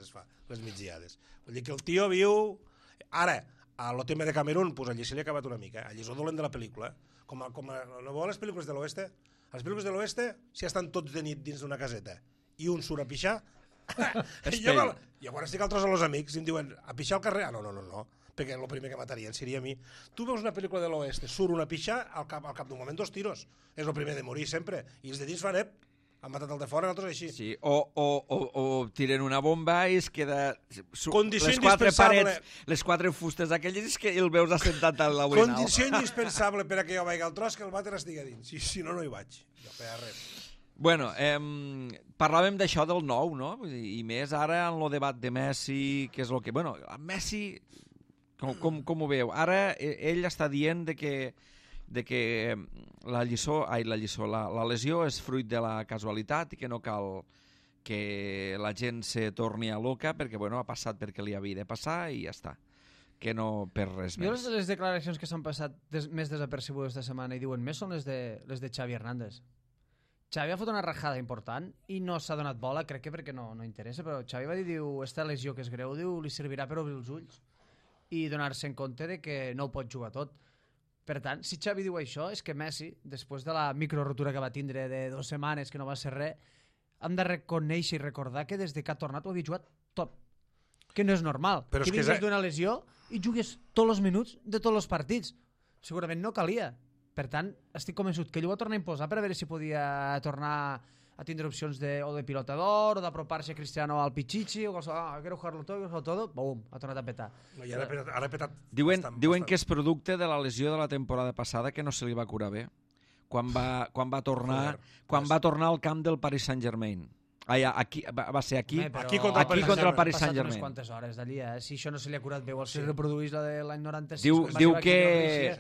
les migdiades. Vull dir que el tio viu... Ara, a lo tema de Camerún, pues allí se li ha acabat una mica. Allí és el dolent de la pel·lícula. Com a no veuen les pel·lícules de l'oeste? A les pel·lícules de l'oeste, si estan tots de nit dins d'una caseta i un surt a pixar, i llavors estic altres a los amics i em diuen, a pixar al carrer? No, perquè el primer que matarien seria a mi. Tu veus una pel·lícula de l'oeste, surt una pixar, al cap d'un moment 2 tiros. És el primer de morir sempre. I els de dins fan, han matat el de fora, nosaltres així. Sí, o tiren una bomba i es queda... Condició indispensable. Les 4 fustes aquelles és que el veus assentat a l'orinal. Condició indispensable per a que jo vagi al tros, que el vàter estigui dins. Si no, no hi vaig. Jo feia res. Bueno, parlàvem d'això del nou, no? I més ara en el debat de Messi, que és el que... Bueno, Messi, com ho veu? Ara ell està dient de que la lesió és fruit de la casualitat i que no cal que la gent se torni a loca perquè ha passat perquè li havia de passar i ja està, que no per res més. Jo les declaracions que s'han passat més desapercebudes esta setmana i diuen més són les de Xavi Hernández. Xavi ha fot una rajada important i no s'ha donat bola, crec que perquè no interessa, però Xavi va dir, diu, esta lesió que és greu, diu, li servirà per obrir els ulls i donar-se en compte de que no ho pot jugar tot. Per tant, si Xavi diu això, és que Messi, després de la microrotura que va tindre de 2 setmanes, que no va ser res, hem de reconèixer i recordar que des que ha tornat ho havia jugat tot. Que no és normal. Però que vingues d'una lesió i jugues tots els minuts de tots els partits. Segurament no calia. Per tant, estic convençut que ell ho va tornar a imposar per a veure si podia tornar a tindre opcions o de pilotador o d'apropar-se a Cristiano al Pichichi o qualsevol, quiero jugarlo todo, bum, ha tornat a petar. No, i ara ha petat Diuen que és producte de la lesió de la temporada passada que no se li va curar bé. Quan va tornar al camp del Paris Saint-Germain. Aquí, va ser aquí contra el Paris Saint-Germain. Unes quantes hores d'allí, si això no se li ha curat bé o si reproduís la de l'any 96.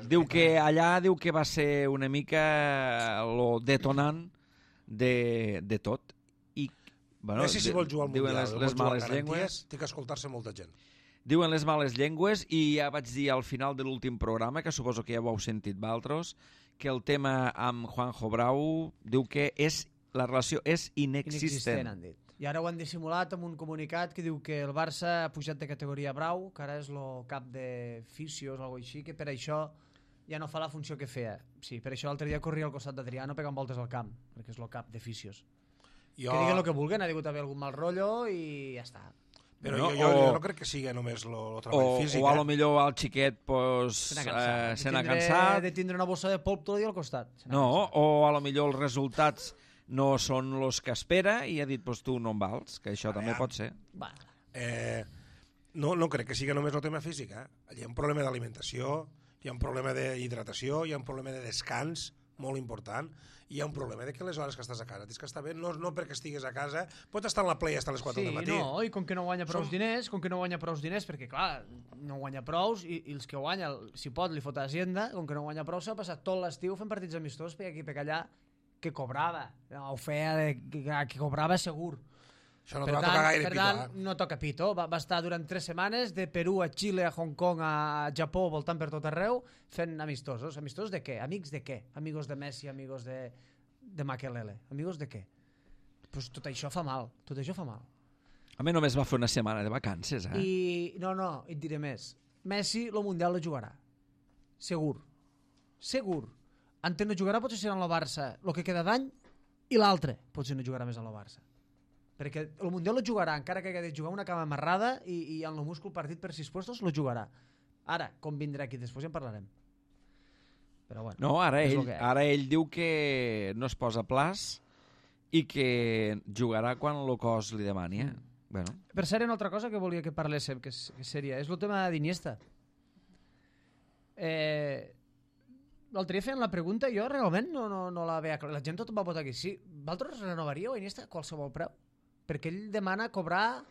Diu que allà va ser una mica lo detonant de tot. I, bueno, Messi, si vol jugar al Mundial, les males llengües, té que escoltar-se molta gent. Diuen les males llengües i ja vaig dir al final de l'últim programa, que suposo que ja ho heu sentit vosaltres, que el tema amb Juanjo Brau diu que la relació és inexistent. Han dit. I ara ho han dissimulat amb un comunicat que diu que el Barça ha pujat de categoria Brau, que ara és el cap de fisios o alguna cosa així, que per això ja no fa la funció que feia. Sí, per això l'altre dia corria al costat d'Adriano pegant voltes al camp, perquè és el cap de fisios. Que diguen el que vulguen, ha digut haver algun mal rotllo i ja està. Però jo no crec que sigui només el treball físic. O a lo millor el xiquet se n'ha cansat. De tindre una bossa de polp tot el dia al costat. No, o a lo millor els resultats no són els que espera i ha dit, pues tu no em vals, que això també pot ser. No crec que sigui només el tema físic. Hi ha un problema d'alimentació, hi ha un problema d'hidratació, hi ha un problema de descans molt important, i hi ha un problema de que les hores que estàs a casa tens que estar bé, no perquè estigues a casa, pots estar en la playa fins a les 4 del matí. No, i com que no guanya prous diners, perquè clar, no guanya prous, i els que guanya, si pot, li fot a Hacienda, com que no guanya prous, s'ha passat tot l'estiu fent partits amistosos per aquí, per allà, que cobrava, o feia que cobrava segur. Això no toca gaire pito. Per tant, no toca pito. Va estar durant 3 setmanes de Perú a Xile, a Hong Kong, a Japó, voltant per tot arreu, fent amistosos. Amistosos de què? Amics de què? Amigos de Messi, amigos de Makelele. Amigos de què? Pues tot això fa mal. Tot això fa mal. A mi només va fer una setmana de vacances, No, et diré més. Messi, el Mundial lo jugarà. Segur. Ante no jugarà, potser serà en el Barça el que queda d'any, i l'altre potser no jugarà més en el Barça. Perquè el Mundial lo jugarà, encara que hagi de jugar una cama amarrada i en el múscul partit per 6 puestos, lo jugarà. Ara, com vindrà aquí després ja en parlarem. Però bueno, no, ara ell diu que no es posa plaç i que jugarà quan el cos li demani. Bueno. Per cert, una altra cosa que volia que parléssim, que seria, és el tema d'Iniesta. L'altre dia feien la pregunta, jo realment no la veia clar. La gent tot va votar que sí. Vosaltres renovaríeu a Iniesta a qualsevol preu? Perquè ell demana cobrar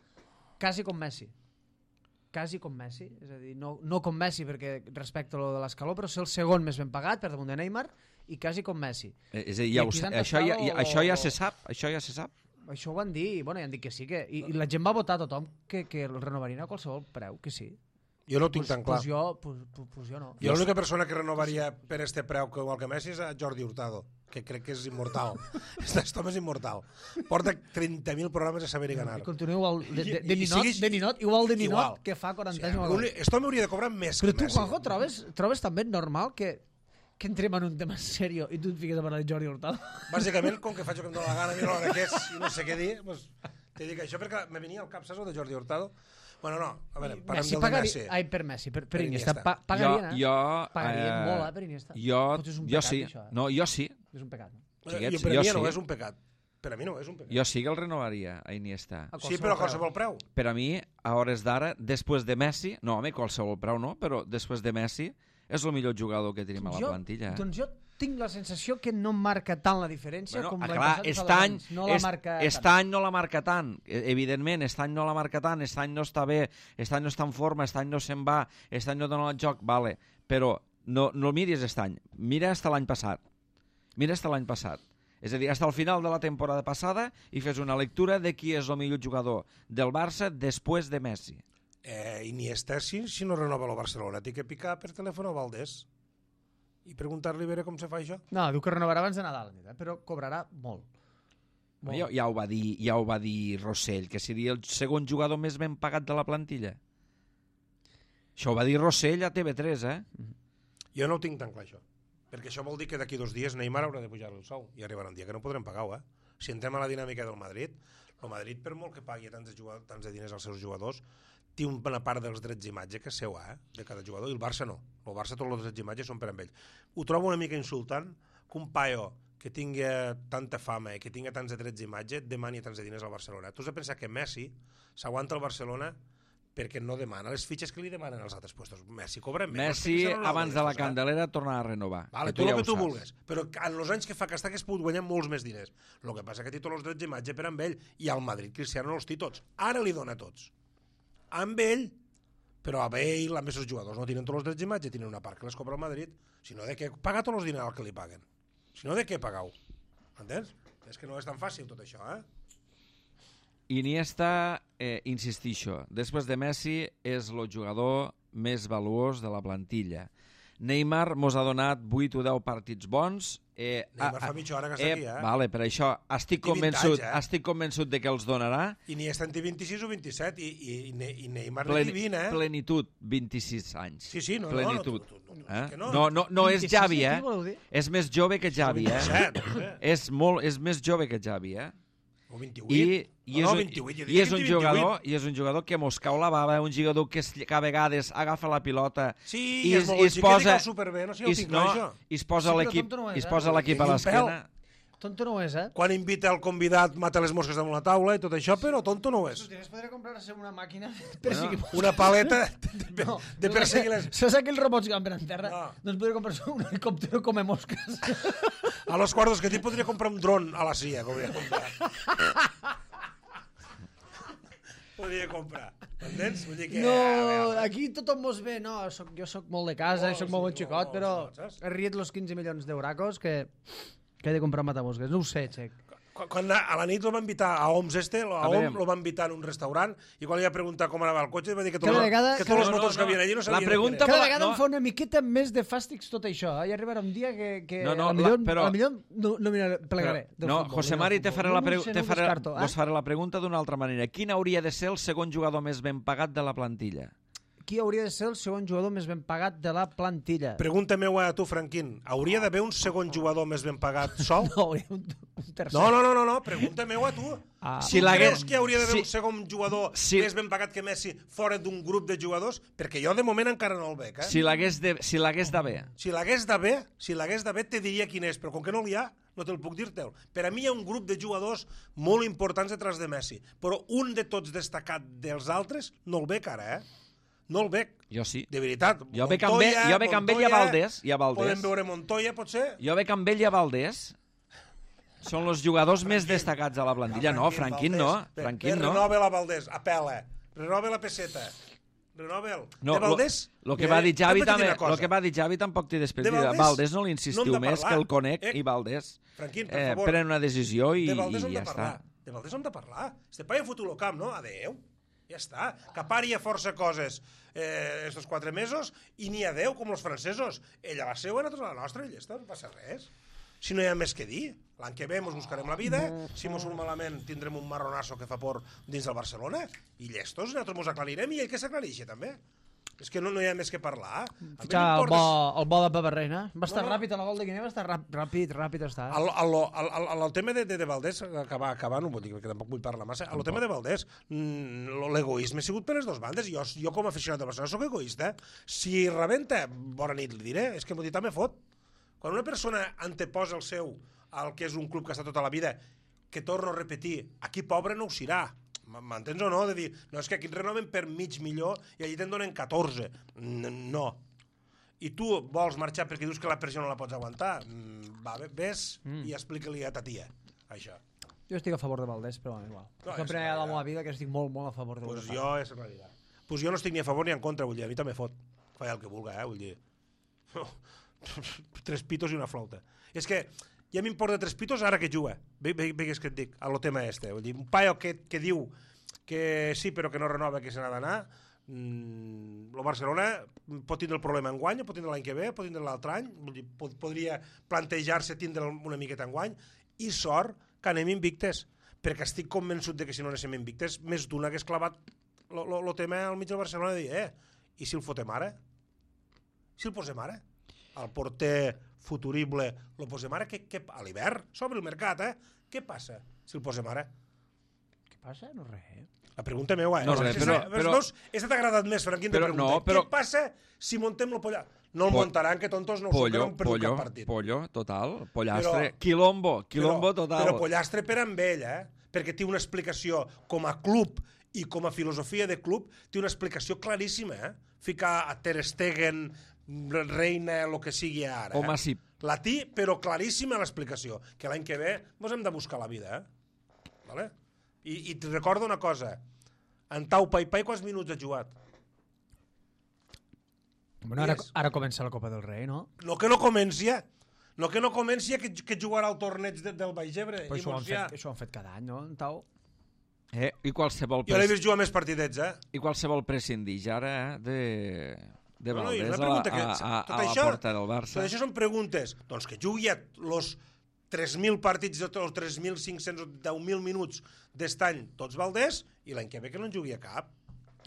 quasi com Messi. Quasi com Messi. És a dir, no com Messi perquè respecte a lo de l'escaló, però ser el segon més ben pagat per damunt de Neymar i quasi com Messi. És a dir, això ja se sap. Això ho van dir, i ja han dit que sí. I la gent va votar tothom que el renovarien a qualsevol preu, que sí. Jo no ho tinc tan clar. Pues jo no. Jo l'única persona que renovaria per este preu igual que Messi és a Jordi Hurtado, que crec que és immortal. Aquest home és immortal. Porta 30.000 programes a saber-hi ganar. I continua igual de Ninot, igual de Ninot, que fa 40 anys. Aquest home hauria de cobrar més que Messi. Però tu, Juanjo, trobes també normal que entrem en un tema serio i tu et fiques a parlar de Jordi Hurtado? Bàsicament, com que faig el que em dóna la gana, miro l'hora que és i no sé què dir, te dic això perquè me venia al cap, saps, de Jordi Hurtado? Bueno, no, a veure, parlem del de Messi. Ai, per Messi, per Iniesta. Pagarien, pagarien molt, per Iniesta. Jo sí. No, jo sí. És un pecat. Per a mi no és un pecat. Per a mi no és un pecat. Jo sí que el renovaria, a Iniesta. Sí, però a qualsevol preu. Per a mi, a hores d'ara, després de Messi, no, home, qualsevol preu no, però després de Messi és el millor jugador que tenim a la plantilla. Doncs jo tinc la sensació que no marca tant la diferència com l'any passat. Aquest any no la marca tant. Evidentment, aquest any no la marca tant, aquest any no està bé, aquest any no està en forma, aquest any no se'n va, aquest any no dona el joc, vale. Però no miris aquest any, mira fins l'any passat. És a dir, fins al final de la temporada passada i fes una lectura de qui és el millor jugador del Barça després de Messi. Iniesta, si no renova el Barcelona, té que picar per telèfon a Valdés. i preguntar-li a veure com se fa això. No, diu que renovarà abans de Nadal, però cobrarà molt. Ja ho va dir Rossell, que seria el segon jugador més ben pagat de la plantilla. Això ho va dir Rossell a TV3, Jo no ho tinc tan clar, això. Perquè això vol dir que d'aquí 2 dies Neymar haurà de pujar el sou i arribarà un dia que no podrem pagar-ho, Si entrem a la dinàmica del Madrid, el Madrid, per molt que pagui tants de diners als seus jugadors, té una part dels drets d'imatge que és seu, de cada jugador, i el Barça no. El Barça tots els drets d'imatge són per amb ell. Ho trobo una mica insultant que un paio que tingui tanta fama i que tingui tants de drets d'imatge demani tants de diners al Barcelona. Tu has de pensar que Messi s'aguanta al Barcelona perquè no demana les fitxes que li demanen als altres puestos. Messi cobra menys. Messi, abans de la Candelera, torna a renovar. Vale, tu el que tu vulguis. Però en els anys que fa que està que es pot guanyar molts més diners. El que passa que té tots els drets d'imatge per amb ell. I al Madrid Cristiano no els té tots. Ara li dona tots. Amb ell, però amb ell, amb els jugadors no tenen tots els drets d'imatge, tenen una part que les cobra el Madrid. Si no, de què pagar tots els diners que li paguen? Si no, de què pagau? Entens? És que no és tan fàcil tot això, Iniesta, insistixo, després de Messi és el jugador més valuós de la plantilla. Neymar mos ha donat 8 o 10 partits bons. Neymar fa mitja hora que està aquí, Vale, per això estic convençut de que els donarà. I Iniesta en té 26 o 27 i Neymar en té 20, Plenitud, 26 anys. Sí, no, plenitud. No És Xavi, És més jove que Xavi, 27, És més jove que Xavi, O 28. I és un jugador que mos cau la bava, un jugador que a vegades agafa la pilota i es posa superbé, no sé, ho tinc clar, això. I es posa l'equip a l'esquena. Tonto no ho és, Quan invita el convidat, mata les mosques damunt la taula i tot això, però tonto no ho és. Es podria comprar-se una màquina de perseguir mosques. Una paleta de perseguir les... Saps aquells robots que van per en terra? Doncs podria comprar-se un helicòptero come mosques. A los quartos que podria comprar un dron a la CIA, podria comprar. Entens? Vull dir que... No, aquí tothom mos ve, no, jo soc molt de casa, soc molt bon xicot, però he riet los 15 milions d'euracos que he de comprar matamosques. No ho sé, Xec. Quan a la nit lo va invitar a Oms lo va invitar en un restaurant i quan li va preguntar com anava el cotxe va dir que tots els motors que havien allí no sabien què era. Cada vegada em fa una miqueta més de fàstics tot això. Hi arribarà un dia que millor no plegaré. No, José Mari, vos faré la pregunta d'una altra manera. Quin hauria de ser el segon jugador més ben pagat de la plantilla? Qui hauria de ser el segon jugador més ben pagat de la plantilla? Pregunta-m'ho a tu, Franquín. Hauria d'haver un segon jugador més ben pagat sol? No, hauria un tercer. No, pregunta-m'ho a tu. Si creus que hauria d'haver un segon jugador més ben pagat que Messi fora d'un grup de jugadors? Perquè jo de moment encara no el veig, Si l'hagués d'haver. Si l'hagués d'haver, te diria quin és, però com que no l'hi ha, no te'l puc dir-te'l. Per a mi hi ha un grup de jugadors molt importants detrás de Messi, però un de tots destacat dels altres no el veig ara, No el veig. Jo sí. De veritat. Jo veig amb ell i a Valdés. Podem veure Montoya, potser? Jo veig amb ell i a Valdés. Són els jugadors més destacats a la plantilla. No, Franquín no. Renova la Valdés, apela. Renova la peseta. Renova'l. De Valdés... El que va dir Javi tampoc té despedida. Valdés no l'insistiu més, que el conec i Valdés pren una decisió i ja està. De Valdés hem de parlar. Este paio fot-ho al camp, no? Adéu. Ja està, que pari a força coses estos 4 mesos i n'hi ha 10 com els francesos. Ella la seva, nosaltres la nostra, i ja està, no passa res. Si no hi ha més que dir, l'any que ve mos buscarem la vida, si mos surt malament tindrem un marronasso que fa por dins del Barcelona, i llestos, nosaltres mos aclarirem i ell que s'aclarixi també. És que no hi ha més que parlar. El bo de Papa Reina. Va estar ràpid, el gol de Guinea va estar ràpid està. El tema de Valdés, acabar no vull dir, que tampoc vull parlar massa, el tema de Valdés, l'egoisme ha sigut per les dues bandes. Jo com a aficionat de Barcelona soc egoista. Si rebenta, bona nit li diré, és que m'ho dit me fot. Quan una persona anteposa el seu al que és un club que està tota la vida, que torno a repetir, aquí pobre no ho serà. M'entens o no? De dir, no, és que aquí et renoven per mig milió i allí te'n donen 14. No. I tu vols marxar perquè dius que la pressió no la pots aguantar? Ves i explica-li a ta tia, això. Jo estic a favor de Valdés, però igual. És la primera vegada de la meva vida que estic molt, molt a favor de Valdés. Pues jo no estic ni a favor ni en contra, vull dir, a mi també fot. Falla el que vulga, vull dir. 3 pitos i una flauta. És que ja m'importa 3 pitos ara que juga. Veus que et dic, a lo tema este. Vull dir, un paio que diu que sí però que no renova, que se n'ha d'anar, El Barcelona pot tindre el problema enguany, pot tindre l'any que ve, pot tindre l'altre any, podria plantejar-se tindre una miqueta enguany, i sort que anem invictes, perquè estic convençut de que si no anéssim invictes, més d'una hagués clavat el tema al mig del Barcelona de dir, i si el fotem ara? Si el posem ara? El porter futurible el posem ara? A l'hivern? S'obre el mercat, Què passa si el posem ara? Què passa? No res. La pregunta meva, No, res, però... Esta t'ha agradat més, Franquín, de pregunta. Què passa si montem el pollastre? No el muntaran, que tontos no ho són, no han perdut cap partit. Pollo, total. Pollastre. Quilombo total. Però pollastre per amb ell, perquè té una explicació com a club i com a filosofia de club, té una explicació claríssima, Ficar a Ter Stegen, Reina, el que sigui ara. Com a Sip. La té, però claríssima l'explicació, que l'any que ve ens hem de buscar la vida, Vale? I et recordo una cosa, en Tau Pai quants minuts ha jugat? Bueno, ara comença la Copa del Rei, no? No que no comenci, que jugarà al torneig del Baix Ebre. Però això ho han fet cada any, no, en Tau? I qualsevol... Jo l'he vist jugar més partidets, I qualsevol prescindir ara de Valdés a la porta del Barça. Tot això són preguntes. Doncs que jugui els 3.000 partits, els 3.500 o 10.000 minuts d'est any, tots Valdés, i l'any que ve que no en jugui a cap.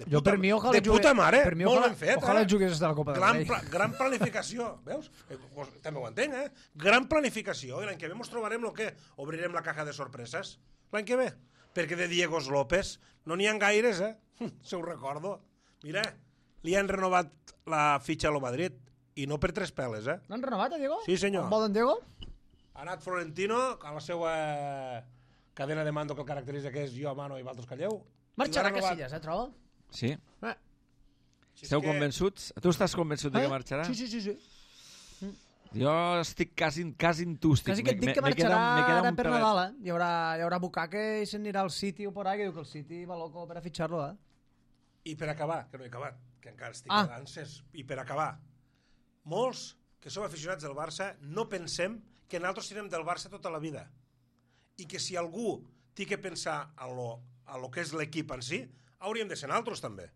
Jo per mi ojalà de puta mare, per mi molt ben fet. Ojalà jugués de la Copa del Rei. Gran planificació, veus? També ho entenc, Gran planificació, i l'any que ve ens trobarem el que? Obrirem la caja de sorpreses, l'any que ve. Perquè de Diegos López no n'hi ha gaires, se ho recordo. Mira, li han renovat la fitxa a lo Madrid, i no per 3 peles, L'han renovat, a Diego? Sí, senyor. On vol en Diego? Ha anat Florentino, a la seva cadena de mando que el caracteritza, que és jo, Mano i vosaltres calleu. Marxarà Casillas, troba? Sí. Esteu convençuts? Tu estàs convençut de que marxarà? Sí. Jo estic quasi entústic. Quasi que et dic que marxarà ara per Nadal, Hi haurà Bucaque i se'n anirà al City o por ahí, que diu que el City va loco per a fitxar-lo, I per acabar, que no he acabat, que encara estic d'anses, i per acabar, molts que som aficionats del Barça no pensem que nosaltres serem del Barça tota la vida, i que si algú té que pensar en lo que és l'equip en si, hauríem de ser nosaltres també,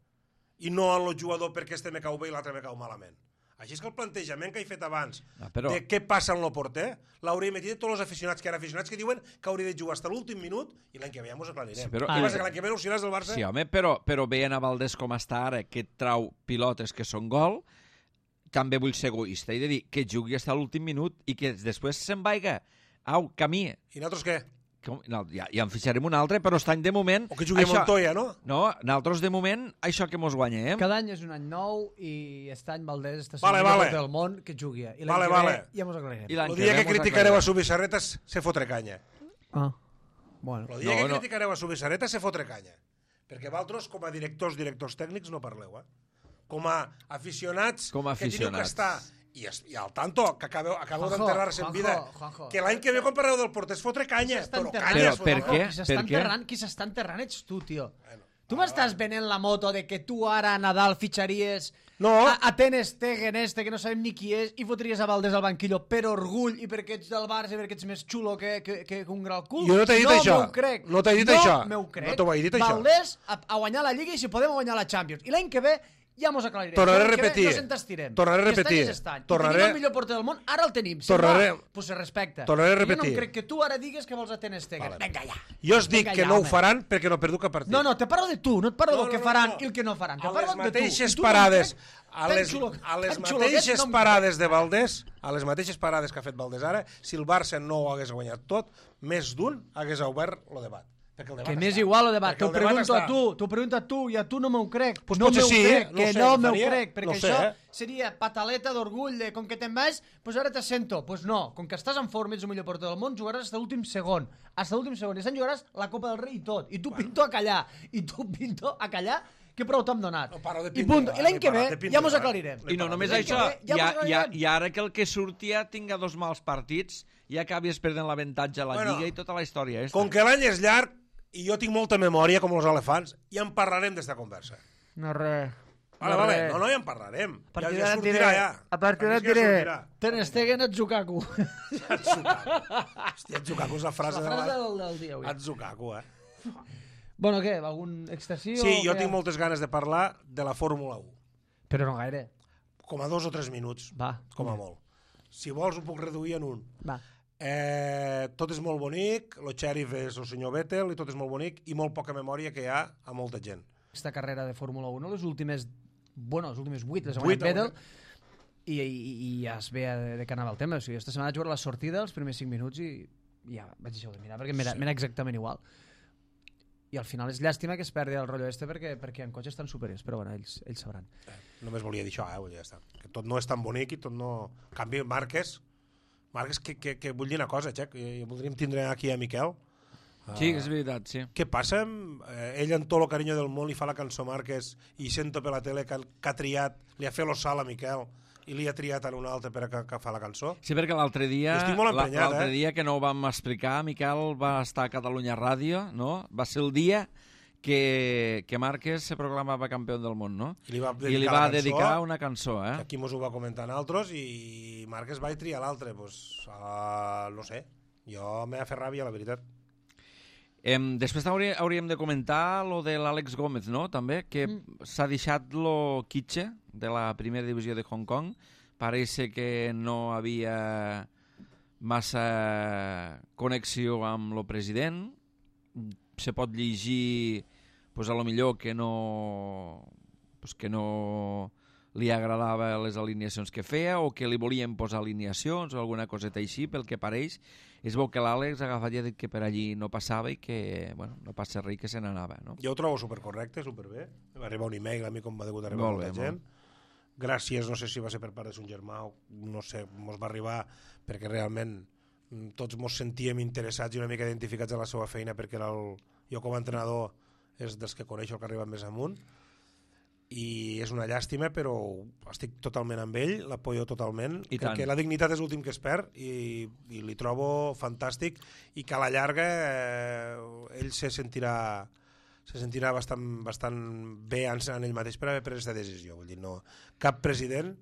i no en el jugador perquè este me cau bé i l'altre me cau malament. Així és que el plantejament que he fet abans de què passa en el porter l'hauríem dit tots els aficionats que diuen que hauria de jugar fins a l'últim minut i l'any que ve ja mos aclarirem. Però l'any que ve no seràs del Barça? Sí, home, però veient a Valdés com està ara, que trau pilotes que són gol, també vull ser egoista i de dir que jugui fins a l'últim minut i que després se'n vaiga. Au, camí. I nosaltres què? No, ja en fixarem un altre, però està any de moment... O que jugui a Montoya, no? No, nosaltres de moment, això que mos guanyem... Cada any és un any nou i aquest any Valdés està sent el millor del món que jugui. I l'any que ve ja mos aclarirem. El dia que criticareu a Subisarretas se fotre canya. Bueno. El dia que criticareu a Subisarretas se fotre canya. Perquè vosaltres, com a directors tècnics, no parleu, Com a aficionats que teniu que estar... I al tanto, que acabeu d'enterrar-se en vida, que l'any que ve quan parleu del porter es fotre canya. Però per què? Qui s'està enterrant ets tu, tio. Tu m'estàs venent la moto de que tu ara a Nadal fitxaries a Ter Stegen que no sabem ni qui és i fotries a Valdés al banquillo per orgull i perquè ets del Barça i perquè ets més xulo que un gran cul. Jo no t'he dit això. No t'he dit això. No m'ho crec. No t'ho vaig dir això. Valdés a guanyar la Lliga i si podem guanyar la Champions. I l'any que ve ja mos aclarirem. Tornaré a repetir. No se'n t'estirem. Tornaré a repetir. Tenim el millor porter del món, ara el tenim. Pues se respecta. Tornaré a repetir. Jo no crec que tu ara digues que vols a Ter Stegen. Vinga ja. Jo us dic que no ho faran perquè no perdu cap partit. No, te parlo de tu, no et parlo del que faran i el que no faran. A les mateixes parades, a les mateixes parades de Valdés, a les mateixes parades que ha fet Valdés ara, si el Barça no ho hagués guanyat tot, més d'un hagués obert el debat. Que m'és igual el debat, t'ho pregunto a tu i a tu no m'ho crec. Pues no m'ho crec, no m'ho crec, perquè això seria pataleta d'orgull de com que te'n vas, pues ara te sento. Pues no, com que estàs en forma, ets el millor porter del món, jugaràs fins a l'últim segon. Fins a l'últim segon. I se'n jugaràs la Copa del Rei i tot. I tu pinto a callar. Que prou t'hem donat. I l'any que ve ja mos aclarirem. I no només això, i ara que el que surti ja tinga 2 mals partits i acabies perdent l'avantatge a la Lliga i tota la història. Com que l'any és llarg i jo tinc molta memòria com els elefants, ja en parlarem d'esta conversa. No res. Vale. No, ja en parlarem. Ja sortirà ja. A partir d'ara et diré Ter Stegen Atzukaku. Hòstia, Atzukaku és la frase del dia avui. Atzukaku, Bueno, què? Algun extasiu? Sí, jo tinc moltes ganes de parlar de la Fórmula 1. Però no gaire. Com a 2 o 3 minuts, Va. com a molt. Si vols ho puc reduir en un. Va. Tot és molt bonic, el xèrif és el senyor Vettel i tot és molt bonic i molt poca memòria que hi ha a molta gent. Aquesta carrera de Fórmula 1, les últimes 8 les ha guanyat 8 Vettel i ja es ve de què anava el tema. O sigui, esta setmana vaig veure la sortida els primers 5 minuts i ja vaig deixar de mirar perquè m'era exactament igual. I al final és llàstima que es perdi el rotllo perquè en cotxes tan superiors, però bueno, ells sabran. Només volia dir això, ja està. Que tot no és tan bonic i tot no... En canvi, Márquez, que vull dir una cosa, Xec, voldríem tindre aquí a Miquel. Sí, és veritat, sí. Què passa? Ell amb tot el carinyo del món li fa la cançó Márquez i sento per la tele que ha triat, li ha fet l'ossal a Miquel i li ha triat en un altre per que fa la cançó. Sí, perquè l'altre dia, dia que no ho vam explicar, Miquel va estar a Catalunya Ràdio, no? Va ser el dia que Márquez se proclamava campió del món, no? I li va dedicar una cançó, que aquí mos ho va comentar altres i Márquez va triar l'altre, pues, no sé, jo m'ha fet ràbia, la veritat. Després hauríem de comentar lo de l'Àlex Gómez, no? També, que s'ha deixat lo quitxe de la primera divisió de Hong Kong. Pareix que no havia massa connexió amb lo president. Se pot llegir, pues, a lo millor que no li agradava les alineacions que feia o que li volien posar alineacions o alguna coseta així, pel que pareix. És bo que l'Àlex ha agafat i ha dit que per allí no passava i que, bueno, no passa res, que se n'anava, no? Jo ho trobo supercorrecte, superbé. Va arribar un email a mi com va degut arribar molta gent. Gràcies, no sé si va ser per part de son germà o no sé, mos va arribar perquè realment tots mos sentíem interessats i una mica identificats a la seva feina perquè jo com a entrenador és dels que coneixo el que arriba més amunt i és una llàstima, però estic totalment amb ell, l'apoyo totalment. Crec que la dignitat és l'últim que es perd i li trobo fantàstic i que a la llarga ell se sentirà bastant bé en ell mateix per haver pres aquesta decisió. Vull dir, no, cap president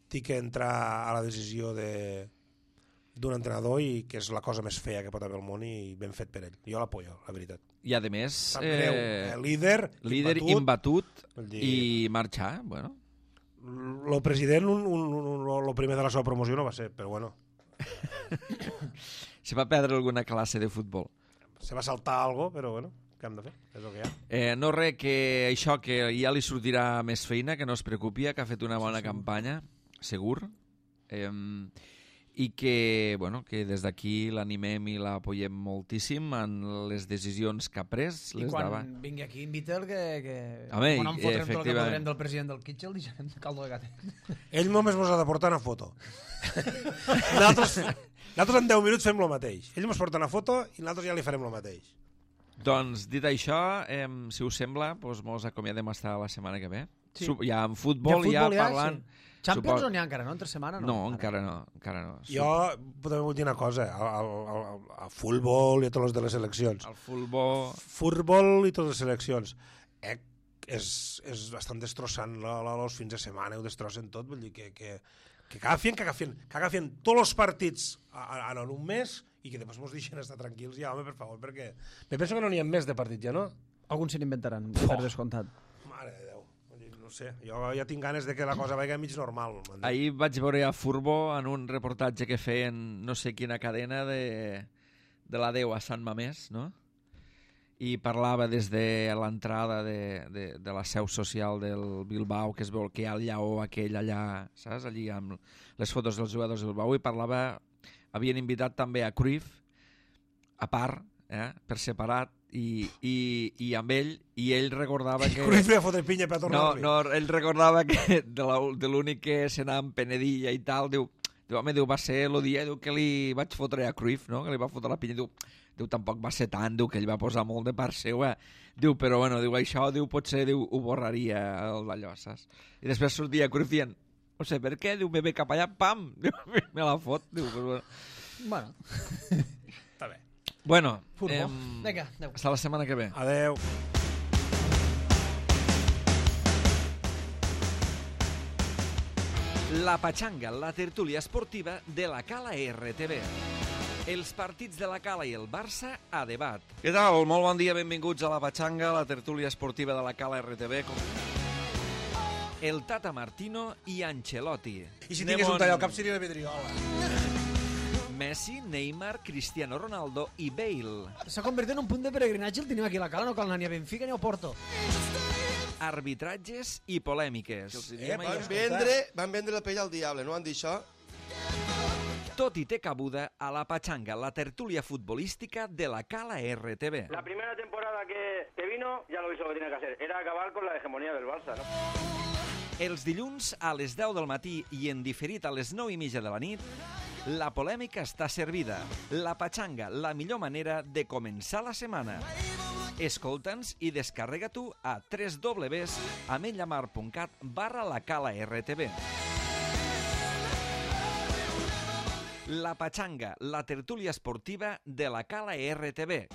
té que entrar a la decisió d'un entrenador i que és la cosa més fea que pot haver al món i ben fet per ell. Jo l'apoyo, la veritat. I a més, líder imbatut i marxar, bueno. El president, el primer de la seva promoció no va ser, però bueno. Se va perdre alguna classe de futbol. Se va saltar alguna cosa, però bueno, què hem de fer? És el que hi ha. No res, que això que ja li sortirà més feina, que no es preocupi, que ha fet una bona campanya, segur. I que, bueno, que des d'aquí l'animem i l'apoyem moltíssim en les decisions que ha pres. I quan vingui aquí invita'l que home, quan em fotrem tot el que podrem del president del Kitchell deixarem de caldo de gatet. Ell només mos ha de portar una foto. Nosaltres en 10 minuts fem el mateix. Ell mos porta una foto i nosaltres ja li farem el mateix. Doncs, dit això, si us sembla, doncs mos acomiadem hasta la setmana que ve. Sí. Ja en futbol, ja parlant... Sí. Champions o n'hi ha encara, no? Entre setmana no? No, encara no. Jo podem dir una cosa, a futbol i a tots els de les seleccions. El futbol i totes les seleccions. És bastant destrossant els fins de setmana, ho destrossen tot, vull dir que agafien tots els partits en un mes i que després mos deixen estar tranquils ja, home, per favor, perquè me penso que no n'hi ha més de partits ja, no? Alguns se n'inventaran, per descomptat. Mare de Déu. No sé, jo ja tinc ganes de que la cosa vagi mig normal. Ahir vaig veure a Furbo en un reportatge que feien no sé quina cadena de la Déu a Sant Mamés, no? I parlava des de l'entrada de la seu social del Bilbao, que es veu que hi ha el lleó aquell allà, saps? Allí amb les fotos dels jugadors del Bilbao, i parlava, havien invitat també a Cruyff, a part, per separat, i amb ell, i ell recordava que... Cruyff li va fotre pinya per tornar-li. No, ell recordava que de l'únic que s'anava amb penedilla i tal, diu, home, va ser el dia que li vaig fotre a Cruyff, no? Que li va fotre la pinya, diu, tampoc va ser tant, diu, que ell va posar molt de part seva, diu, però bueno, diu, això, diu, potser, diu, ho borraria d'allò, saps? I després sortia Cruyff dient, no sé per què, diu, me ve cap allà, pam, diu, me la fot, diu, però bueno. Està bé. Bueno, vinga, adeu. Hasta la setmana que ve. Adeu. La Pachanga, la tertúlia esportiva de la Cala RTV. Els partits de la Cala i el Barça a debat. Què tal? Molt bon dia, benvinguts a la Patxanga, la tertúlia esportiva de la Cala RTV. El Tata Martino i Ancelotti. I si tingués un tall al cap seria la Pedriola. Messi, Neymar, Cristiano Ronaldo i Bale. S'ha convertit en un punt de peregrinatge, el tenim aquí a la Cala, no cal anar ni a Benfica ni a Porto. Arbitratges i polèmiques. Van vendre la pell al diable, no van dir això? Tot i té cabuda a la Patxanga, la tertúlia futbolística de la Cala RTV. La primera temporada que vino ya lo hizo lo que tenía que hacer. Era acabar con la hegemonía del Barça, ¿no? Els dilluns a les 10 del matí i en diferit a les 9:30 de la nit, la polèmica està servida. La Patxanga, la millor manera de començar la setmana. Escolta'ns i descarrega-t'ho a www.ametlllamar.cat/lacalaRTV. La Patxanga, la tertúlia esportiva de la Cala RTV.